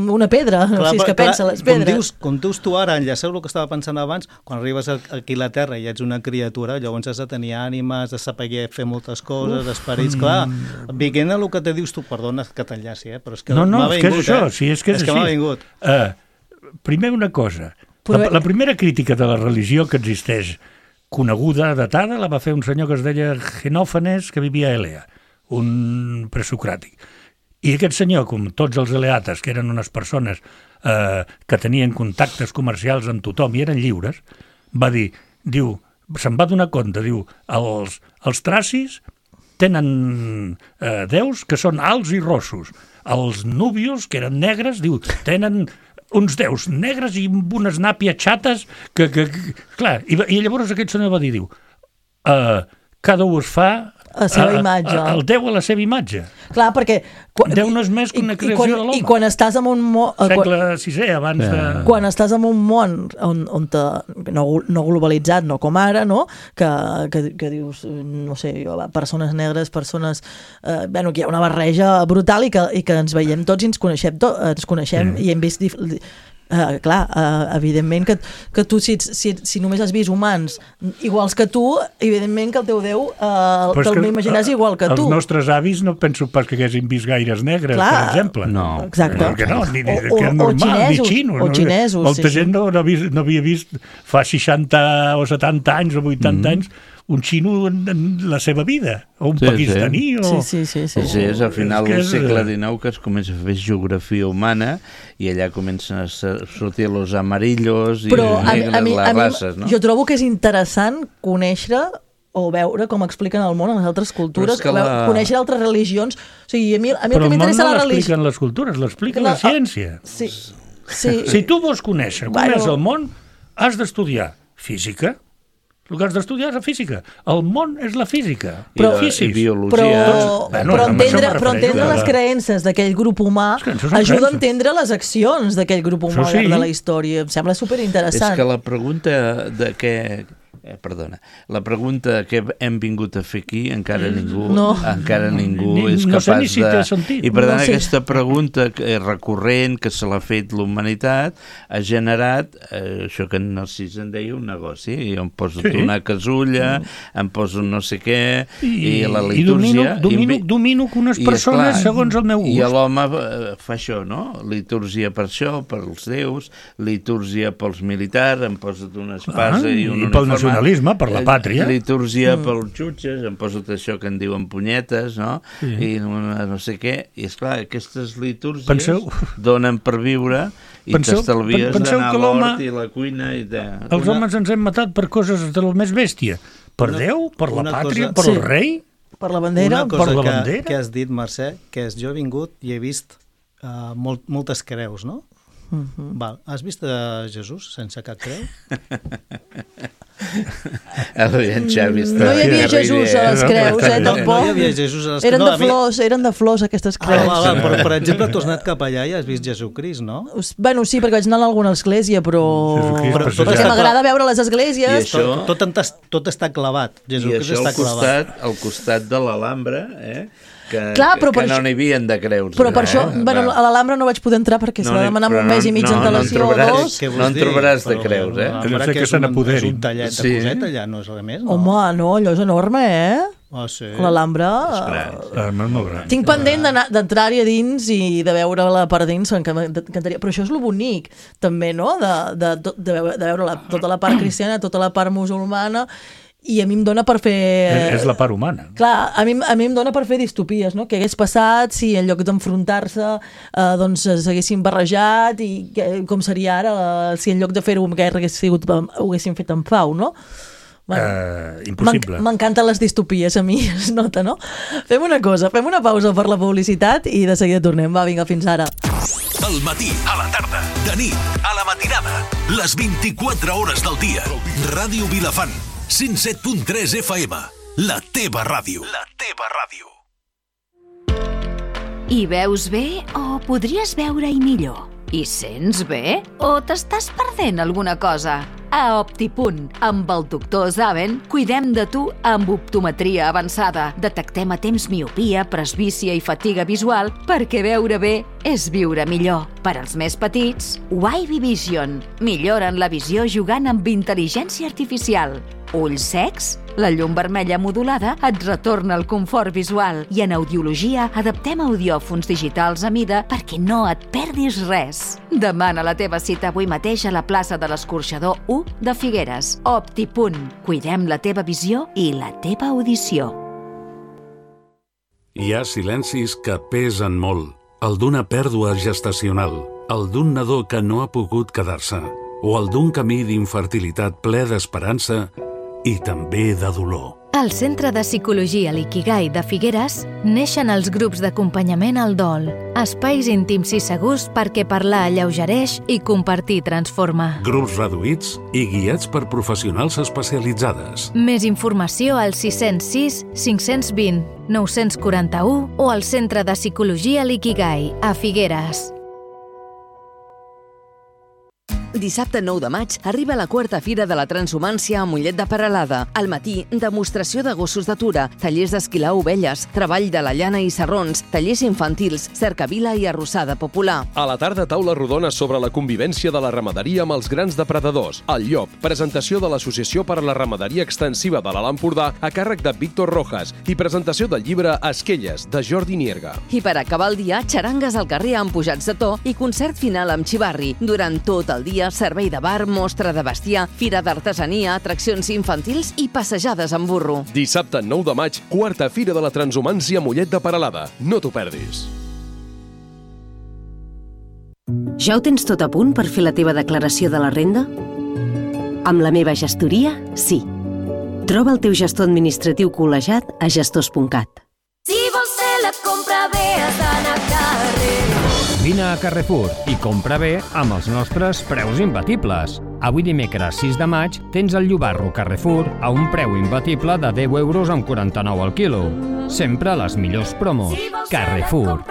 una pedra, Clar, si és que clar, pensa les com pedres. dius, com dius tu ara, enllaçeu el que estava pensant abans, quan arribes a- aquí a la Terra i ets una criatura, llavors has de tenir ànimes, de saber fer moltes coses, esperits, clar, veient el que te dius tu, perdona que t'enllaci, eh? però és que No, no, m'ha és que és vingut, això, eh? sí, és que és, és que així. m'ha vingut. Uh, primer una cosa. Però- La, la primera crítica de la religió que existeix, coneguda, datada, la va fer un senyor que es deia Genòfanes, que vivia a Elea, un presocràtic. I aquest senyor, com tots els eleates, que eren unes persones eh, que tenien contactes comercials amb tothom i eren lliures, va dir, diu, se'n va donar compte, diu, els, els tracis tenen eh, déus que són alts i rossos. Els núbios, que eren negres, diu, tenen uns déus negres i amb unes nàpies xates que, que, que clar, i, i llavors aquest senyor va dir, diu, uh, cada un es fa A la seva imatge. a, el déu a la seva imatge. Clar, perquè... Quan, Déu no és més que una i- i creació quan- de l'home. I quan estàs en un món... Quan, Segle sisè, abans de... quan estàs en un món on, on te, no, no globalitzat, no com ara, no? Que, que, que dius, no sé, jo, persones negres, persones... Eh, bueno, que hi ha una barreja brutal i que, i que ens veiem tots i ens coneixem, to, ens coneixem Mm. i hem vist... Dif, Uh, clar, uh, evidentment que, que tu si, si, si només has vist humans iguals que tu, evidentment que el teu Déu uh, Però és te'l que, imaginàs eh, igual que tu. Els nostres avis no penso pas que haguessin vist gaires negres, Clar. per exemple. No. Exacte. Que no, ni, ni, O- que és o- o normal, xinesos, ni xinos. o no? xinesos, Molta sí, gent sí. No, no, havia, no havia vist fa seixanta o setanta anys o vuitanta mm. anys un xino en, en la seva vida, o un Sí, pakistaní, sí. o... Sí, sí, sí. sí. Sí, és al final És que del és- segle dinou que es comença a fer geografia humana i allà comencen a ser- sortir los amarillos i Però els a, mi- negres, a mi, les a mi, races, no? jo trobo que és interessant conèixer o veure com expliquen el món en les altres cultures, Però és que la... la- conèixer altres religions. O sigui, a mi, a mi Però el que el món m'interessa no la religió... l'expliquen les cultures, l'explica la, La- ciència. Sí, sí. Si tu vols conèixer com Bueno. és el món, has d'estudiar física, El que has d'estudiar és la física. El món és la física. Però, I, i biologia. Però, Bueno, però, amb això entendre, me però refereixo, entendre clar. les creences d'aquell grup humà És que això són ajuda a creences. entendre les accions d'aquell grup humà Això al llarg sí. de la història. Em sembla És superinteressant. que la pregunta de què... Eh, perdona, la pregunta que hem vingut a fer aquí encara ningú, No. encara ningú Ni- és no sé capaç ni si de... té sentit. I per tant No sé. aquesta pregunta que és recurrent, que se l'ha fet l'humanitat, ha generat eh, això que en Narcís en deia un negoci. Jo em poso Sí. una casulla, em poso no sé què, i, I, la i domino, litúrgia... domino, i, domino que unes i, persones esclar, segons el meu gust. I l'home eh, fa això, no? Litúrgia per això, pels déus, litúrgia pels militars, em posa't una espasa Ah, i un i pel uniforme. nacionalisme, per la Eh, pàtria. Litúrgia mm. pels jutges, em posa't això que en diuen punyetes, no? Sí. I no, no sé què. I esclar, aquestes litúrgies Penseu... donen per viure i Penseu- t'estalvies penseu d'anar a que l'home- l'hort i la cuina i de... Els homes ens hem matat per coses de lo més bèstia. Per Una- Déu, per la una pàtria, cosa- per el Sí. rei. Per la bandera. Una cosa per la que, bandera. que has dit, Mercè, que és jo he vingut i he vist uh, molt, moltes creus, no? Mhm. Val. Has vist a Jesús sense cap creu? El Xavi està... No hi havia que Jesús ridícul. a les creus, eh, No, tampoc. no hi havia Jesús a les Eren no, de a mi- flors, eren de flors aquestes Ah, creus. val, val, però, per exemple, tu has anat cap allà i has vist Jesucrist, no? Us- Bueno, sí, perquè vaig anar a alguna església, però... Jesucrist Però- passejant. Perquè m'agrada veure les I esglésies. això- Tot, tot, en tas- tot està clavat. I Jesucrist això està al clavat. costat, al costat de l'Alhambra, eh? que, Clar, però que, per que no això- n'hi havia de creus. Però per eh? això, bueno, Va. a l'Alhambra no vaig poder entrar perquè s'ha de n'hi- demanar amb però un mes i mig no, no en d'antelació o trobaràs. dos. Què vols No en dir? trobaràs de Però creus, eh? l'Alhambra, Deu ser que que és se un, n'apoderin. és un tallet de Sí. coseta, ja no és res més, no? Home, no, allò és enorme, eh? Ah, sí. L'Alhambra... Ah, no, no, no. Tinc pendent d'anar- d'entrar-hi a dins i de veure-la per dins, m'encantaria. Però això és lo bonic, també, no?, de, de, de, de veure, de veure la, tota la part cristiana, tota la part musulmana, i a mi em dona per fer... És, és la part humana. Clar, a mi, a mi em dona per fer distopies, no? Què hagués passat si en lloc d'enfrontar-se eh, doncs s'haguessin barrejat i que, com seria ara eh, si en lloc de fer-ho amb guerra hagués sigut, ho haguessin fet en pau, no? Uh, impossible. M'en- M'encanten les distopies, a mi, es nota, no? Fem una cosa, fem una pausa per la publicitat i de seguida tornem. Va, vinga, fins ara. Al matí, a la tarda, de nit, a la matinada, les vint-i-quatre hores del dia. Ràdio Vilafant, cent set punt tres F M, la teva ràdio. La teva ràdio. Hi veus bé o podries veure-hi millor? Hi sents bé o t'estàs perdent alguna cosa? A Optipunt, amb el doctor Zaven, cuidem de tu amb optometria avançada. Detectem a temps miopia, presbícia i fatiga visual perquè veure bé és viure millor. Per als més petits, Wavy Vision. Milloren la visió jugant amb intel·ligència artificial. Ulls secs? La llum vermella modulada et retorna el confort visual i en audiologia adaptem audiòfons digitals a mida perquè no et perdis res. Demana la teva cita avui mateix a la plaça de l'Escorxador u de Figueres. Optipunt. Cuidem la teva visió i la teva audició. Hi ha silencis que pesen molt. El d'una pèrdua gestacional, el d'un nadó que no ha pogut quedar-se, o el d'un camí d'infertilitat ple d'esperança i també de dolor. Al Centre de Psicologia Likigai de Figueres neixen els grups d'acompanyament al dol, espais íntims i segurs perquè parlar alleugereix i compartir transforma. Grups reduïts i guiats per professionals especialitzades. Més informació al sis zero sis, cinc dos zero, nou quatre u o al Centre de Psicologia Likigai a Figueres. Dissabte nou de maig arriba la quarta Fira de la Transhumància a Mollet de Peralada. Al matí, demostració de gossos d'atura, tallers d'esquilar ovelles, treball de la llana i sarrons, tallers infantils, cercavila i arrossada popular. A la tarda, taula rodona sobre la convivència de la ramaderia amb els grans depredadors. El llop, presentació de l'Associació per a la Ramaderia Extensiva de l'Alt Empordà a càrrec de Víctor Rojas i presentació del llibre Esquelles, de Jordi Nierga. I per acabar el dia, xarangues al carrer amb pujats de to i concert final amb xivarri. Durant tot el dia, servei de bar, mostra de bestiar, fira d'artesania, atraccions infantils i passejades amb burro. Dissabte nou de maig, quarta Fira de la Transhumància a Mollet de Peralada. No t'ho perdis. Ja ho tens tot a punt per fer la teva declaració de la renda? Amb la meva gestoria, sí. Troba el teu gestor administratiu col·legiat a gestors punt cat. Si vols fer la compra bé has d'anar a carrer. Vine a Carrefour i compra bé amb els nostres preus imbatibles. Avui dimecres sis de maig tens el llobarro Carrefour a un preu imbatible de deu euros amb quaranta-nou al quilo. Sempre les millors promos. Carrefour.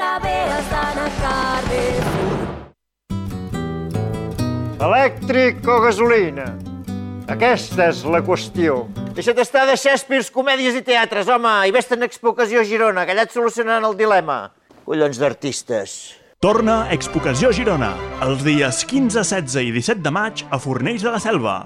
Elèctric o gasolina? Aquesta és la qüestió. Deixa't estar de Shakespeare, comèdies i teatres, home, i vés-te'n a Expo Ocasió a Girona, que allà et solucionaran el dilema. Collons d'artistes. Torna Expo Ocasió Girona, els dies quinze, setze i disset de maig a Fornells de la Selva.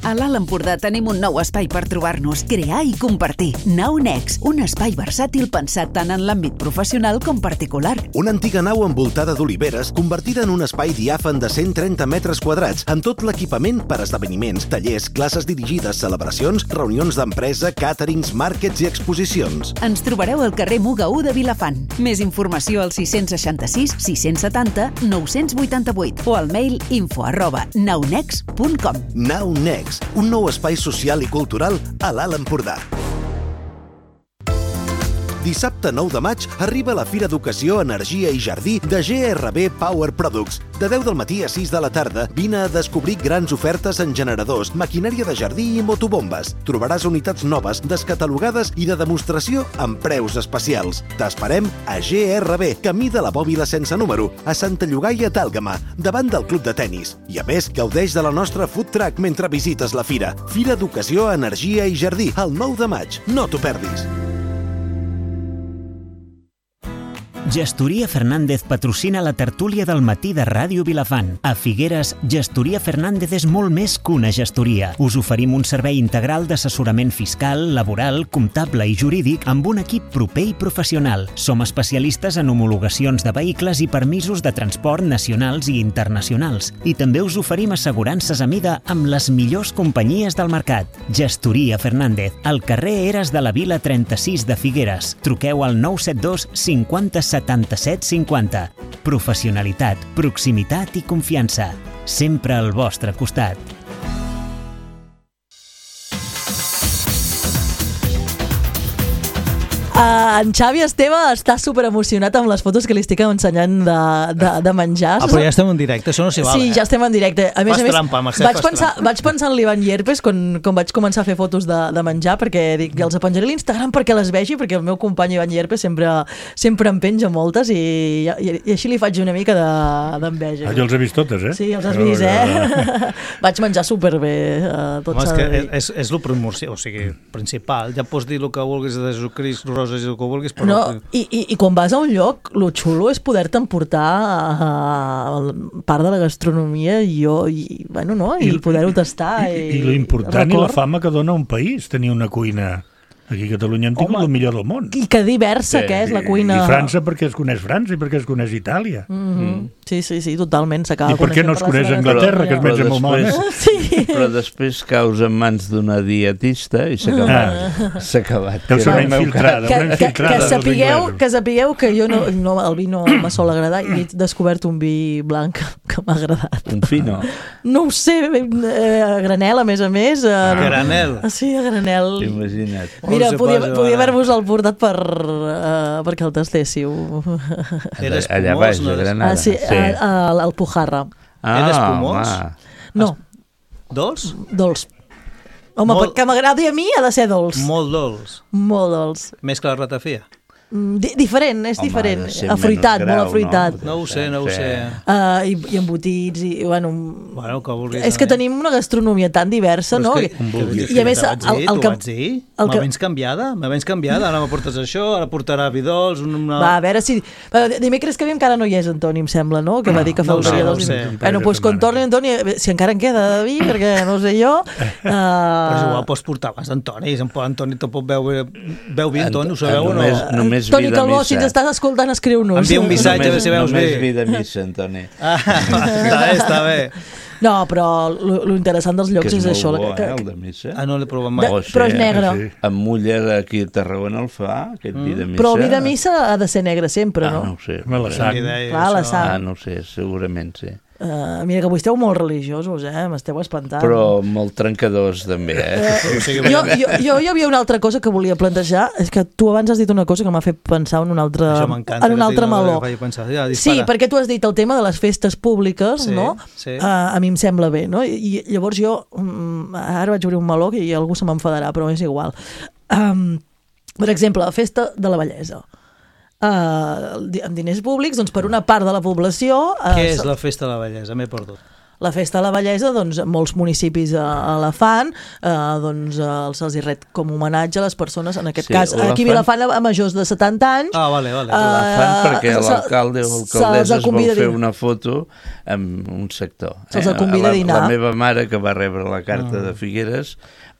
A l'Alt Empordà tenim un nou espai per trobar-nos, crear i compartir. Nau Next, un espai versàtil pensat tant en l'àmbit professional com particular. Una antiga nau envoltada d'oliveres convertida en un espai diàfan de cent trenta metres quadrats amb tot l'equipament per esdeveniments, tallers, classes dirigides, celebracions, reunions d'empresa, càterings, màrquets i exposicions. Ens trobareu al carrer Muga u de Vilafant. Més informació al sis seixanta-sis sis setanta nou vuitanta-vuit o al mail info arroba naunex punt com. Nau Next, un nou espai social i cultural a l'Alt Empordà. Dissabte nou de maig arriba la Fira d'Ocasió, Energia i Jardí de G R B Power Products. De deu del matí a sis de la tarda vine a descobrir grans ofertes en generadors, maquinària de jardí i motobombes. Trobaràs unitats noves, descatalogades i de demostració amb preus especials. T'esperem a G R B, camí de la Bòbila sense número, a Santa Llogaia d'Àlgama, davant del club de tennis. I a més, gaudeix de la nostra food truck mentre visites la fira. Fira d'Ocasió, Energia i Jardí, el nou de maig. No t'ho perdis. Gestoria Fernández patrocina la tertúlia del matí de Ràdio Vilafant. A Figueres, Gestoria Fernández és molt més que una gestoria. Us oferim un servei integral d'assessorament fiscal, laboral, comptable i jurídic amb un equip proper i professional. Som especialistes en homologacions de vehicles i permisos de transport nacionals i internacionals. I també us oferim assegurances a mida amb les millors companyies del mercat. Gestoria Fernández, al carrer Eres de la Vila trenta-sis de Figueres. Truqueu al nou set dos cinquanta setanta-set cinquanta. Professionalitat, proximitat i confiança. Sempre al vostre costat. Uh, en Xavi Esteve està super emocionat amb les fotos que li estic ensenyant de, de, de menjar. Ah, però ja estem en directe, això no s'hi val. Sí, eh? ja estem en directe. A més fas a més, trampa, Mercè, vaig, fas pensar, vaig pensar en l'Ivan Llerpes quan, quan vaig començar a fer fotos de, de menjar, perquè dic, els penjaré a l'Instagram perquè les vegi, perquè el meu company Ivan Llerpes sempre, sempre en penja moltes i, i, i així li faig una mica d'enveja. De, ah, jo els he vist totes, eh? Sí, els has vist, eh? Vaig menjar superbé. Uh, tot Home, és que és, és el primordial, o sigui, principal. Ja pots dir el que vulguis de Jesucrist, roses i el que vulguis, però... No, i, i, i quan vas a un lloc, lo xulo és poder-te emportar a, a part de la gastronomia i, jo, i, bueno, no? I, I poder-ho tastar. I, i, i l'important i la fama que dona un país, tenir una cuina... Aquí a Catalunya hem tingut el millor del món. I que diversa sí, que és la cuina. I França perquè es coneix França i perquè es coneix Itàlia. Mm-hmm. Mm. Sí, sí, sí, totalment. I per què no es coneix Anglaterra, que es menja molt malament? Sí. Però després caus en mans d'una dietista i s'ha acabat. Ah. S'ha acabat. Deu ser una infiltrada. Que, una infiltrada que, que, sapigueu, que sapigueu que jo no, no, el vi no me sol agradar i he descobert un vi blanc que m'ha agradat. Un fino? No ho sé, eh, a granel, a més a més. A granel? Sí, a granel. Imagina't. Mira, podia, podia haver-vos el portat per, uh, perquè el tastéssiu. Era espumós, allà baix, a Granada. Ah, sí, sí. Al, al Pujarra. Ah, era espumós? No. Dolç? Dolç. Home, molt... perquè m'agradi a mi ha de ser dolç. Molt dolç. Molt dolç. Més que la ratafia. D diferent, és Home, diferent. Afruitat, grau, molt afruitat. No, no ho sé, no ho sé. Uh, i, I embotits, i bueno... Bueno, que vulguis. És que tenim una gastronomia tan diversa, no? Que, que, I a més... El, el, el que, vaig dir? El que... M'ha canviada, m'ha vens canviada. Ara m'aportes això, ara portarà vi dolç... Una... Va, a veure si... Dimecres que ve encara no hi és Antoni, em sembla, no? Que va dir que faltaria no, dos... No sé, bueno, doncs quan torni Antoni, si encara en queda de vi, perquè no sé jo... Uh... Però és igual, pots portar abans d'Antoni. Antoni te pot veure... Veu vi, Antoni, ho sabeu o no? Només Toni Calbó, si ens estàs escoltant, escriu-nos. Envia un missatge, a veure si veus bé. Només vi de missa, Antoni. Ah, està bé, està bé. No, però lo interessant dels llocs és, és això. Bo, que, eh, el de missa. Ah, no l'he provat mai. De, però és negre. Sí. En Muller, aquí a Tarragona el fa, aquest mm. vi de missa. Però el vi de missa ha de ser negre sempre, no? Ah, no ho sé. La sang. Clar, la sang. Ah, no ho sé, segurament sí. Uh, mira que avui esteu molt religiosos, eh? M'esteu espantant. Però molt trencadors, també, eh? Uh, jo, jo, jo hi havia una altra cosa que volia plantejar, és que tu abans has dit una cosa que m'ha fet pensar en un altre, en un altre meló. Ja, sí, perquè tu has dit el tema de les festes públiques, sí, no? Sí. Uh, a mi em sembla bé, no? I llavors jo, um, ara vaig obrir un meló i algú se m'enfadarà, però és igual. Um, per exemple, la festa de la bellesa. Uh, amb diners públics, doncs per una part de la població... Uh, Què és la festa de la bellesa? M'he perdut. La festa de la bellesa, doncs, molts municipis uh, la fan, uh, doncs uh, se'ls hi ret com homenatge a les persones, en aquest sí, cas, aquí a Vilafant a majors de setanta anys. Ah, vale, vale. Uh, la fan perquè uh, l'alcalde o l'alcaldessa es vol fer una foto amb un sector. Se'ls eh? convida a dinar. La meva mare, que va rebre la carta mm. de Figueres,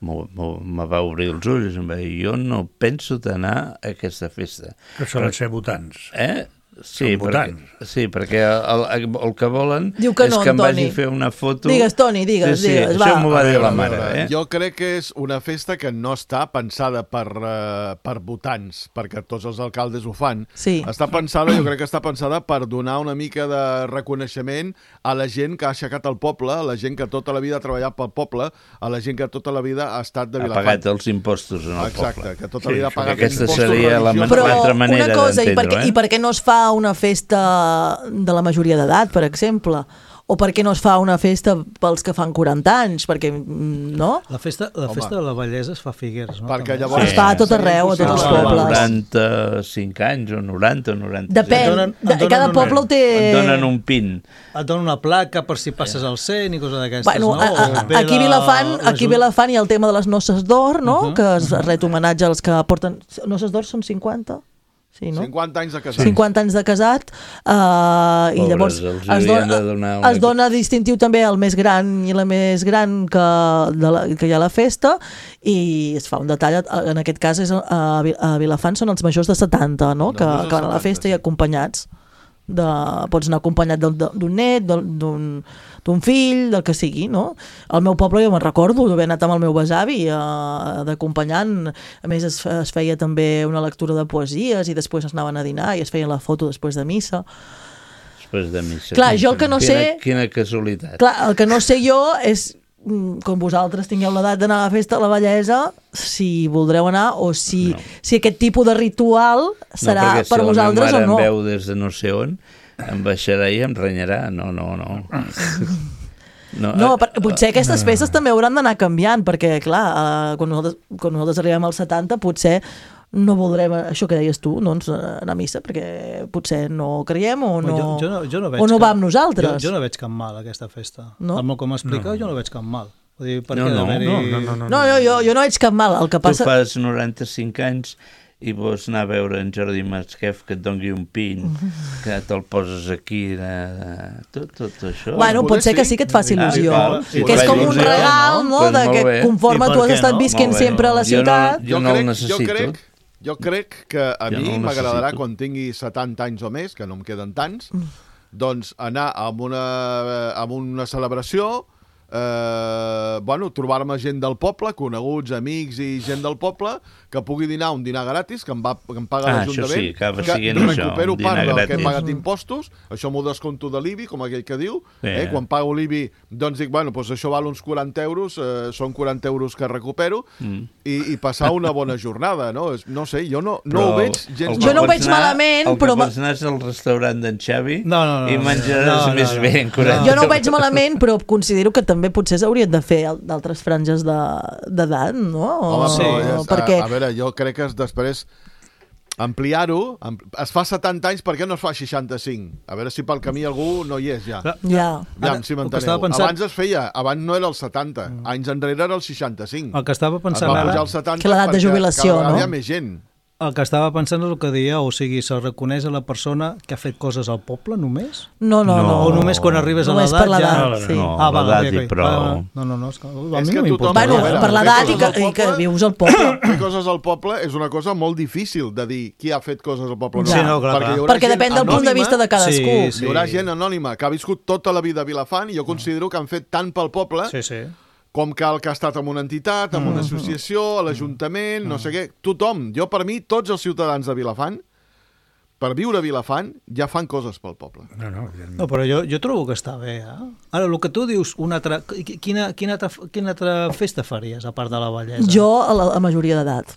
me va obrir els ulls, em va dir, jo no penso d'anar a aquesta festa. Que solen ser votants. Eh? Sí, perquè, sí, perquè el, el, el que volen Diu que no, és que em Toni. vagi a fer una foto... Digues, Toni, digues, sí, sí, digues, això va. m'ho va dir la mare. Eh? Jo crec que és una festa que no està pensada per, uh, per votants, perquè tots els alcaldes ho fan. Sí. Està pensada, jo crec que està pensada per donar una mica de reconeixement a la gent que ha aixecat el poble, a la gent que tota la vida ha treballat pel poble, a la gent que tota la vida ha estat de Vilafant. Ha pagat els impostos en el Exacte, poble. Exacte, que tota la vida ha pagat sí, els impostos. Aquesta seria l'altra manera d'entendre-ho. Però i per què no es fa una festa de la majoria d'edat, per exemple? O per què no es fa una festa pels que fan quaranta anys? Perquè, no? La festa, la festa de la bellesa es fa a Figueres, no? Perquè llavors... Es fa a tot arreu, a tots els pobles. noranta-cinc anys o noranta o noranta. Depèn, donen, de, cada una, poble ho té... Et donen un pin. Et donen una placa per si passes al cent i coses d'aquestes, bueno, no? A, a, aquí a Vilafant, aquí a Vilafant hi ha el tema de les noces d'or, no? Uh -huh. Que es ret homenatge als que porten... Noces d'or són cinquanta? Sí, no? cinquanta anys de casat. cinquanta anys de casat, uh, i llavors es dona, una... es dona distintiu també al més gran i la més gran que, de la, que hi ha a la festa, i es fa un detall, en aquest cas és, a, a Vilafant són els majors de setanta, no? Que, que van a la festa i acompanyats. De, pots anar acompanyat d'un net, d'un d'un fill, del que sigui, no? Al meu poble jo me'n recordo d'haver anat amb el meu besavi eh, d'acompanyant, a més es, es feia també una lectura de poesies i després es anaven a dinar i es feien la foto després de missa. Després de missa. Clar, jo el que no quina, sé... Quina casualitat. Clar, el que no sé jo és, com vosaltres tingueu l'edat d'anar a la festa de la bellesa, si voldreu anar o si, no. si aquest tipus de ritual serà no, per si vosaltres o no. Perquè si la meva mare em veu des de no sé on, em baixarà i em renyarà. No, no, no. No, no per, potser aquestes festes també hauran d'anar canviant, perquè, clar, eh, quan, nosaltres, quan nosaltres arribem als setanta, potser no voldrem, això que deies tu, doncs, anar a missa, perquè potser no creiem o no, jo, jo no, jo no veig o no cap, va amb nosaltres. Jo, jo no veig cap mal, aquesta festa. No? El com m'explica, no. jo no veig cap mal. Vull dir, per no, què no, no, no, no, no, no, no, jo, jo, jo no veig cap mal. El que passa... Tu fas noranta-cinc anys i vols anar a veure en Jordi Masquef que et doni un pin, que te'l poses aquí, de... tot, tot això. Bueno, pot ser que sí que et faci il·lusió. Ah, sí, que és com un regal, no?, de que conforme tu has estat visquent sempre a la ciutat... Jo no el necessito. Jo crec que a mi m'agradarà, quan tingui setanta anys o més, que no em queden tants, doncs anar a una, a una celebració, eh, bueno, trobar-me gent del poble, coneguts, amics i gent del poble, que pugui dinar un dinar gratis, que em, va, que em paga ah, l'Ajuntament, sí, que, que recupero part del que he pagat impostos, això m'ho descompto de l'I B I, com aquell que diu, sí. eh, quan pago l'I B I, doncs dic, bueno, doncs això val uns quaranta euros, eh, són quaranta euros que recupero, mm. i, i passar una bona jornada, no? No sé, jo no, no ho veig gens... Jo no ho veig malament, el però... El que pots anar és al restaurant d'en Xavi no, no, no, i menjaràs no, no, més no, bé en quaranta Jo no ho veig malament, però considero que també potser s'haurien de fer d'altres franges d'edat, no? Home, sí. però, perquè... a, a veure, jo crec que després ampliar-ho, es fa setanta anys, per què no es fa seixanta-cinc? A veure si pel camí algú no hi és ja. Ja. Ja, si m'enteneu. Pensant... Abans es feia, abans no era el setanta, mm. anys enrere era el seixanta-cinc. El que estava pensant es va pujar ara... al setanta que l'edat de jubilació, cada vegada no? hi ha més gent. El que estava pensant és el que deia, o sigui, se reconeix a la persona que ha fet coses al poble, només? No, no, no. O només quan arribes només a l'edat ja... No, sí. no, ah, va, l'edat okay, i prou. No, no, no, és que, a és mi que no m'importa. Bueno, per l'edat i, que, i que vius al poble. Fer coses al poble és una cosa molt difícil de dir qui ha fet coses al poble. Ja. Sí, no, clar, perquè, perquè depèn del punt de vista de cadascú. Sí, sí. Hi haurà gent anònima que ha viscut tota la vida a Vilafant i jo considero que han fet tant pel poble sí, sí. com cal que ha estat en una entitat, en una associació, a l'Ajuntament, no sé què. Tothom, jo per mi, tots els ciutadans de Vilafant, per viure a Vilafant, ja fan coses pel poble. No, no, no però jo, jo trobo que està bé. Eh? Ara, el que tu dius, una altra, quina, quina, altra, quina altra festa faries, a part de la bellesa? Jo, a la a majoria d'edat.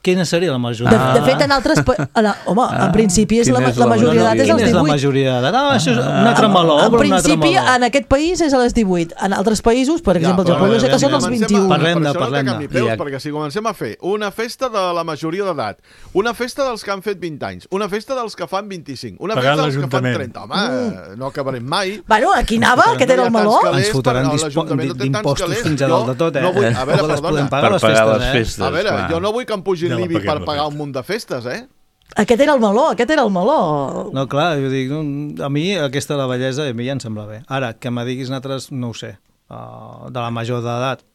Quina seria la majoria? De, de fet, en altres... En, home, ah, en principi és la, és la, la majoria d'edat és als divuit. Quina és la majoria d'edat? Ah, això és un altre meló. En principi, en aquest país és a les divuit. En altres països, per exemple, ja, jo sé que són els vint-i-u. Parlem-ne, parlem-ne. No peus, perquè si comencem a fer una festa de la majoria d'edat, una festa dels que han fet vint anys, una festa dels que fan vint-i-cinc, una festa dels que fan trenta, home, mm. no acabarem mai. Bueno, aquí anava, aquest era el meló. Ens fotran d'impostos fins a dalt de tot, eh? A veure, perdona. Per pagar les festes. A veure, jo no vull que em pugin l'I B I per pagar un munt de festes, eh? Aquest era el meló, aquest era el meló. No, clar, jo dic, a mi aquesta la bellesa a mi ja em sembla bé. Ara, que me diguis altres, no ho sé, uh, de la major d'edat.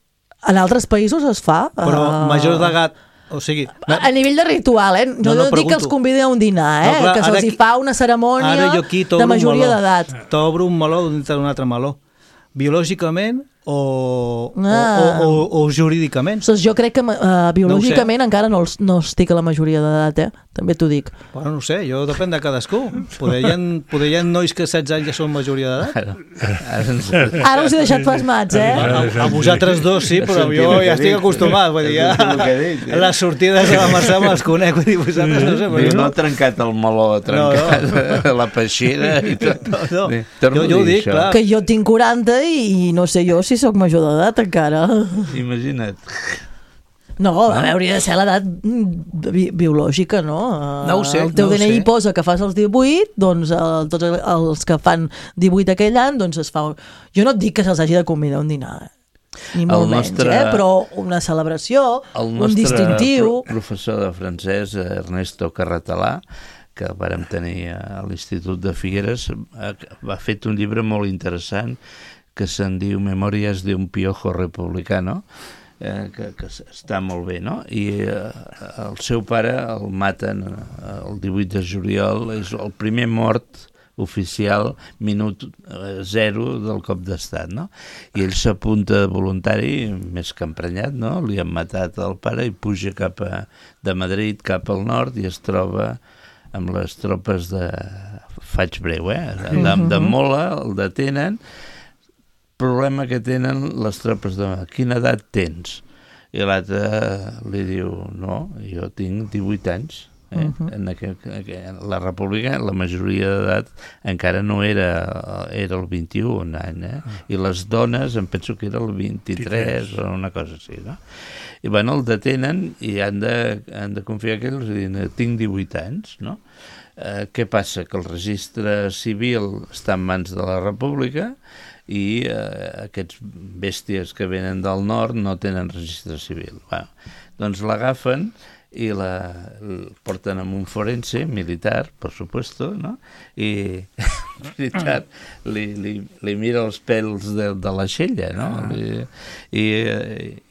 En altres països es fa. Però uh... major d'edat, o sigui... A nivell de ritual, eh? No, no, no dic que els convidi a un dinar, eh? No, clar, que se'ls hi fa una cerimònia de majoria d'edat. T'obro un meló dintre d'un altre meló. Biològicament o, ah. o, o, o jurídicament. Doncs jo crec que uh, biològicament no encara no, els, no estic a la majoria d'edat, eh? També t'ho dic. Bueno, no sé, jo depèn de cadascú. Poder hi ha, poder hi ha nois que setze anys ja són majoria d'edat. Ara us he deixat pasmats, eh? A, a vosaltres dos sí, però jo ja estic acostumat. Vull dir, ja, les sortides de la Mercè me les conec. Vull dir, vosaltres no sé. Però no ha trencat el meló, ha trencat no, no. la peixera i tot. No, no. Jo, jo ho dic, clar. Que jo tinc quaranta i no sé jo si sóc major d'edat encara. Imagina't. No, a veure, hauria de ser l'edat bi biològica, no? No ho sé, el teu no D N I sé. posa que fas els divuit, doncs el, tots els que fan divuit aquell any, doncs es fa... Jo no et dic que se'ls hagi de convidar a un dinar, ni molt nostre, menys, eh? Però una celebració, un distintiu... El professor de francès, Ernesto Carratalà, que vàrem tenir a l'Institut de Figueres, ha fet un llibre molt interessant que se'n diu Memòries d'un piojo republicano, eh, que, que està molt bé, no? I eh, el seu pare el maten el divuit de juliol, és el primer mort oficial, minut zero del cop d'estat, no? I ell s'apunta voluntari, més que emprenyat, no? Li han matat el pare i puja cap a, de Madrid cap al nord i es troba amb les tropes de... Faig breu, eh? De, de Mola, el detenen. Problema que tenen les tropes de... Quina edat tens? I l'altre li diu, no, jo tinc divuit anys. Eh? Uh -huh. En aqu aqu la república, la majoria d'edat encara no era, era el vint-i-u any, eh? I les dones em penso que era el vint-i-tres o una cosa així, no? I bueno, el detenen i han de, han de confiar que ells diuen, tinc divuit anys, no? Eh, què passa? Que el registre civil està en mans de la república i eh, aquests bèsties que venen del nord no tenen registre civil. Bueno, doncs l'agafen i la, la porten amb un forense militar, per supuesto, no? I, en veritat, li, li, li mira els pèls de, de la xella, no? I, i,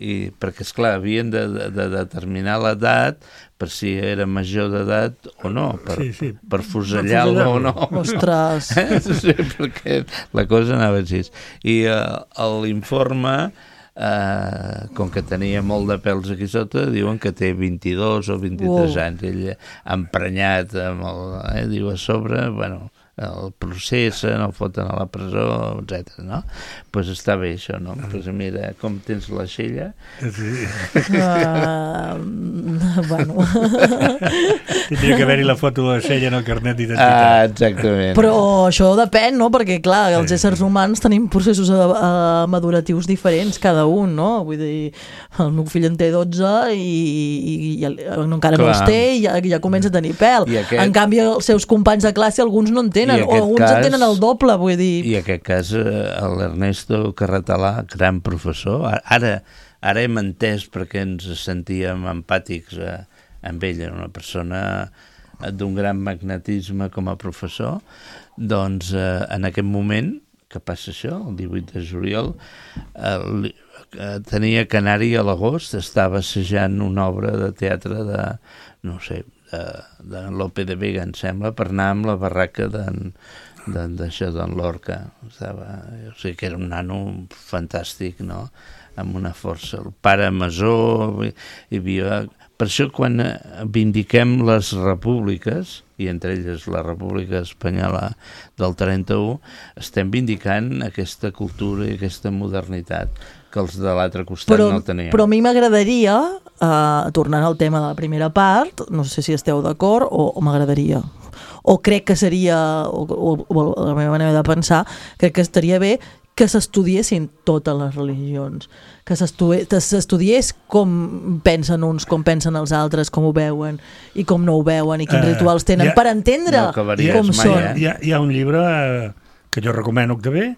i perquè, esclar, havien de, de, de determinar l'edat per si era major d'edat o no, per, sí, sí. per fusellar-lo o no. Ostres! Sí, perquè la cosa anava així. I uh, l'informe... Uh, com que tenia molt de pèls aquí sota, diuen que té vint-i-dos o vint-i-tres wow. anys. Ell emprenyat amb el, eh, diu a sobre, bueno, el processen, el foten a la presó, etcètera. No? Doncs pues està bé això, no? Pues mira, com tens la xella? Sí. Uh, bueno. Tindria que haver-hi la foto de la xella en el carnet d'identitat. Ah, exactament. Però això depèn, no? Perquè, clar, els éssers humans tenim processos uh, maduratius diferents, cada un, no? Vull dir, el meu fill en té dotze i, i, i encara clar. no els té i ja, ja comença a tenir pèl. Aquest... En canvi, els seus companys de classe, alguns no en tenen, o alguns cas, en tenen el doble, vull dir... I en aquest cas, l'Ernesto Carratalà, gran professor, ara, ara hem entès perquè ens sentíem empàtics eh, amb ell, una persona d'un gran magnetisme com a professor, doncs eh, en aquest moment, que passa això, el divuit de juliol, eh, tenia que anar-hi a l'agost, estava assajant una obra de teatre de, no sé, de, de Lope de Vega, em sembla, per anar amb la barraca d'en d'això d'en Lorca. Estava, o sigui que era un nano fantàstic, no? Amb una força. El pare masó, hi havia Per això, quan vindiquem les repúbliques, i entre elles la República Espanyola del trenta-u, estem vindicant aquesta cultura i aquesta modernitat que els de l'altre costat però, no tenien. Però a mi m'agradaria, uh, tornant al tema de la primera part, no sé si esteu d'acord, o, o m'agradaria, o crec que seria, o, o, o la meva manera de pensar, crec que estaria bé que s'estudiessin totes les religions, que s'estudiés com pensen uns, com pensen els altres, com ho veuen i com no ho veuen i quins uh, rituals tenen, ha, per entendre no com mai, són. Eh? Hi, ha, hi ha un llibre que jo recomano també,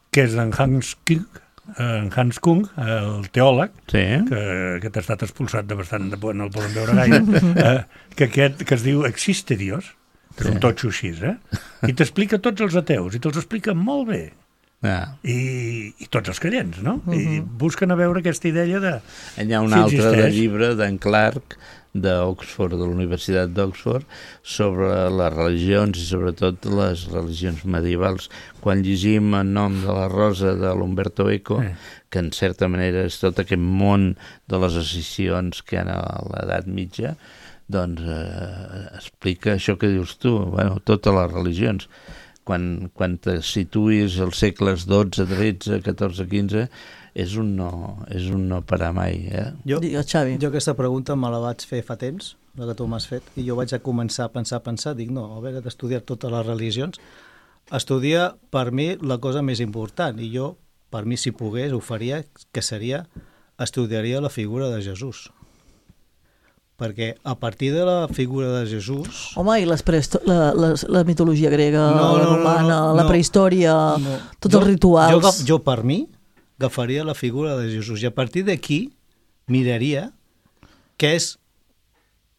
que és d'en Hans Kung, en Hans Kung, el teòleg, sí. que aquest ha estat expulsat de bastant de por, no el poden veure gaire, eh, que aquest que es diu Existe Dios, que és un totxo així, eh? I t'explica tots els ateus, i te'ls explica molt bé. Ah. I, i tots els creients, no? Uh-huh. I busquen a veure aquesta idea de... Hi ha un si altre de llibre d'en Clark d'Oxford, de la Universitat d'Oxford, sobre les religions i sobretot les religions medievals. Quan llegim En nom de la rosa de l'Umberto Eco, eh. que en certa manera és tot aquest món de les escissions que hi ha a l'edat mitja, doncs eh, explica això que dius tu, bueno, totes les religions. Quan, quan te situïs als segles dotze, tretze, catorze, quinze, és un no, és un no parar mai. Eh? Jo, jo aquesta pregunta me la vaig fer fa temps, la que tu m'has fet, i jo vaig a començar a pensar, a pensar, dic, no, haver d'estudiar totes les religions, estudiar per mi la cosa més important, i jo, per mi, si pogués, ho faria, que seria, estudiaria la figura de Jesús. Perquè a partir de la figura de Jesús... Home, i les prehisto- la, la, la mitologia grega, no, la romana, no, no, la prehistòria, no. tots jo, els rituals... Jo, jo, per mi, agafaria la figura de Jesús i a partir d'aquí miraria què és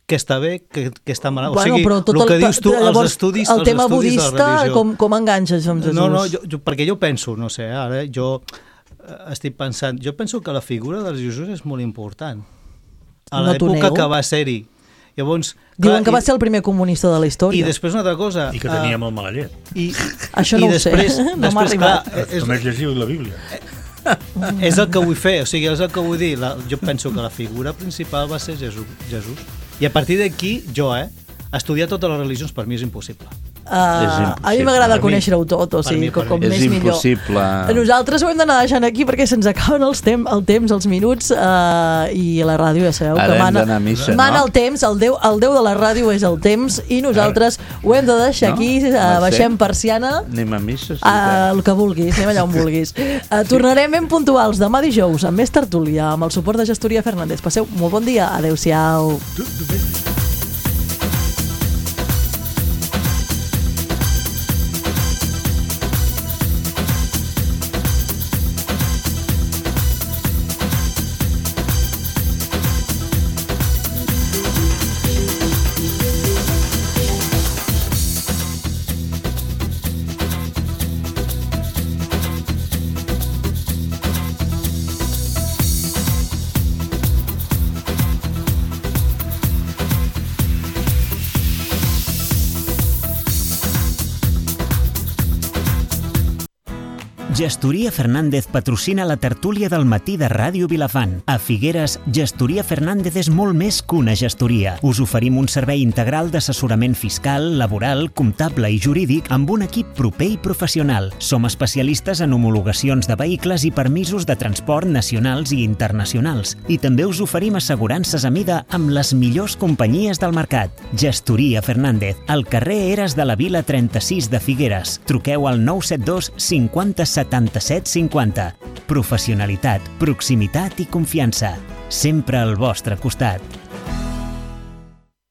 que està bé, que, que està mal. Bueno, o sigui, el, el que dius tu, llavors, els estudis, el els tema estudis budista, de la religió... Com, com enganxes amb Jesús? No, no, jo, jo, perquè jo penso, no sé, ara jo estic pensant, jo penso que la figura de Jesús és molt important. A no l'època que va ser-hi. Llavors, diuen clar, que va i, ser el primer comunista de la història. I després una altra cosa... I que tenia uh, molt mala llet. I, Això no i ho després, sé, no m'ha arribat. Clar, és, només llegiu la Bíblia. És el que vull fer, o sigui, és el que vull dir. La, jo penso que la figura principal va ser Jesús. Jesús. I a partir d'aquí, jo, eh, estudiar totes les religions per mi és impossible. Uh, a mi m'agrada conèixer-ho tot, o sigui, com, com és més millor. Impossible. Nosaltres ho hem d'anar deixant aquí perquè se'ns acaben els tem el temps, els minuts, uh, i la ràdio ja sabeu Ara que mana, missa, mana no? el temps, el déu, el déu de la ràdio és el temps i nosaltres ho hem de deixar no? aquí, uh, baixem persiana. Anem a missa. Sí, uh, el que vulguis, anem allà on vulguis. Uh, tornarem ben puntuals demà dijous amb més tertúlia, amb el suport de Gestoria Fernández. Passeu molt bon dia, adeu-siau. Gestoria Fernández patrocina la tertúlia del matí de Ràdio Vilafant. A Figueres, Gestoria Fernández és molt més que una gestoria. Us oferim un servei integral d'assessorament fiscal, laboral, comptable i jurídic amb un equip proper i professional. Som especialistes en homologacions de vehicles i permisos de transport nacionals i internacionals. I també us oferim assegurances a mida amb les millors companyies del mercat. Gestoria Fernández, al carrer Eres de la Vila trenta-sis de Figueres. Truqueu al nou set dos cinquanta setanta-set cinquanta. Professionalitat, proximitat i confiança. Sempre al vostre costat.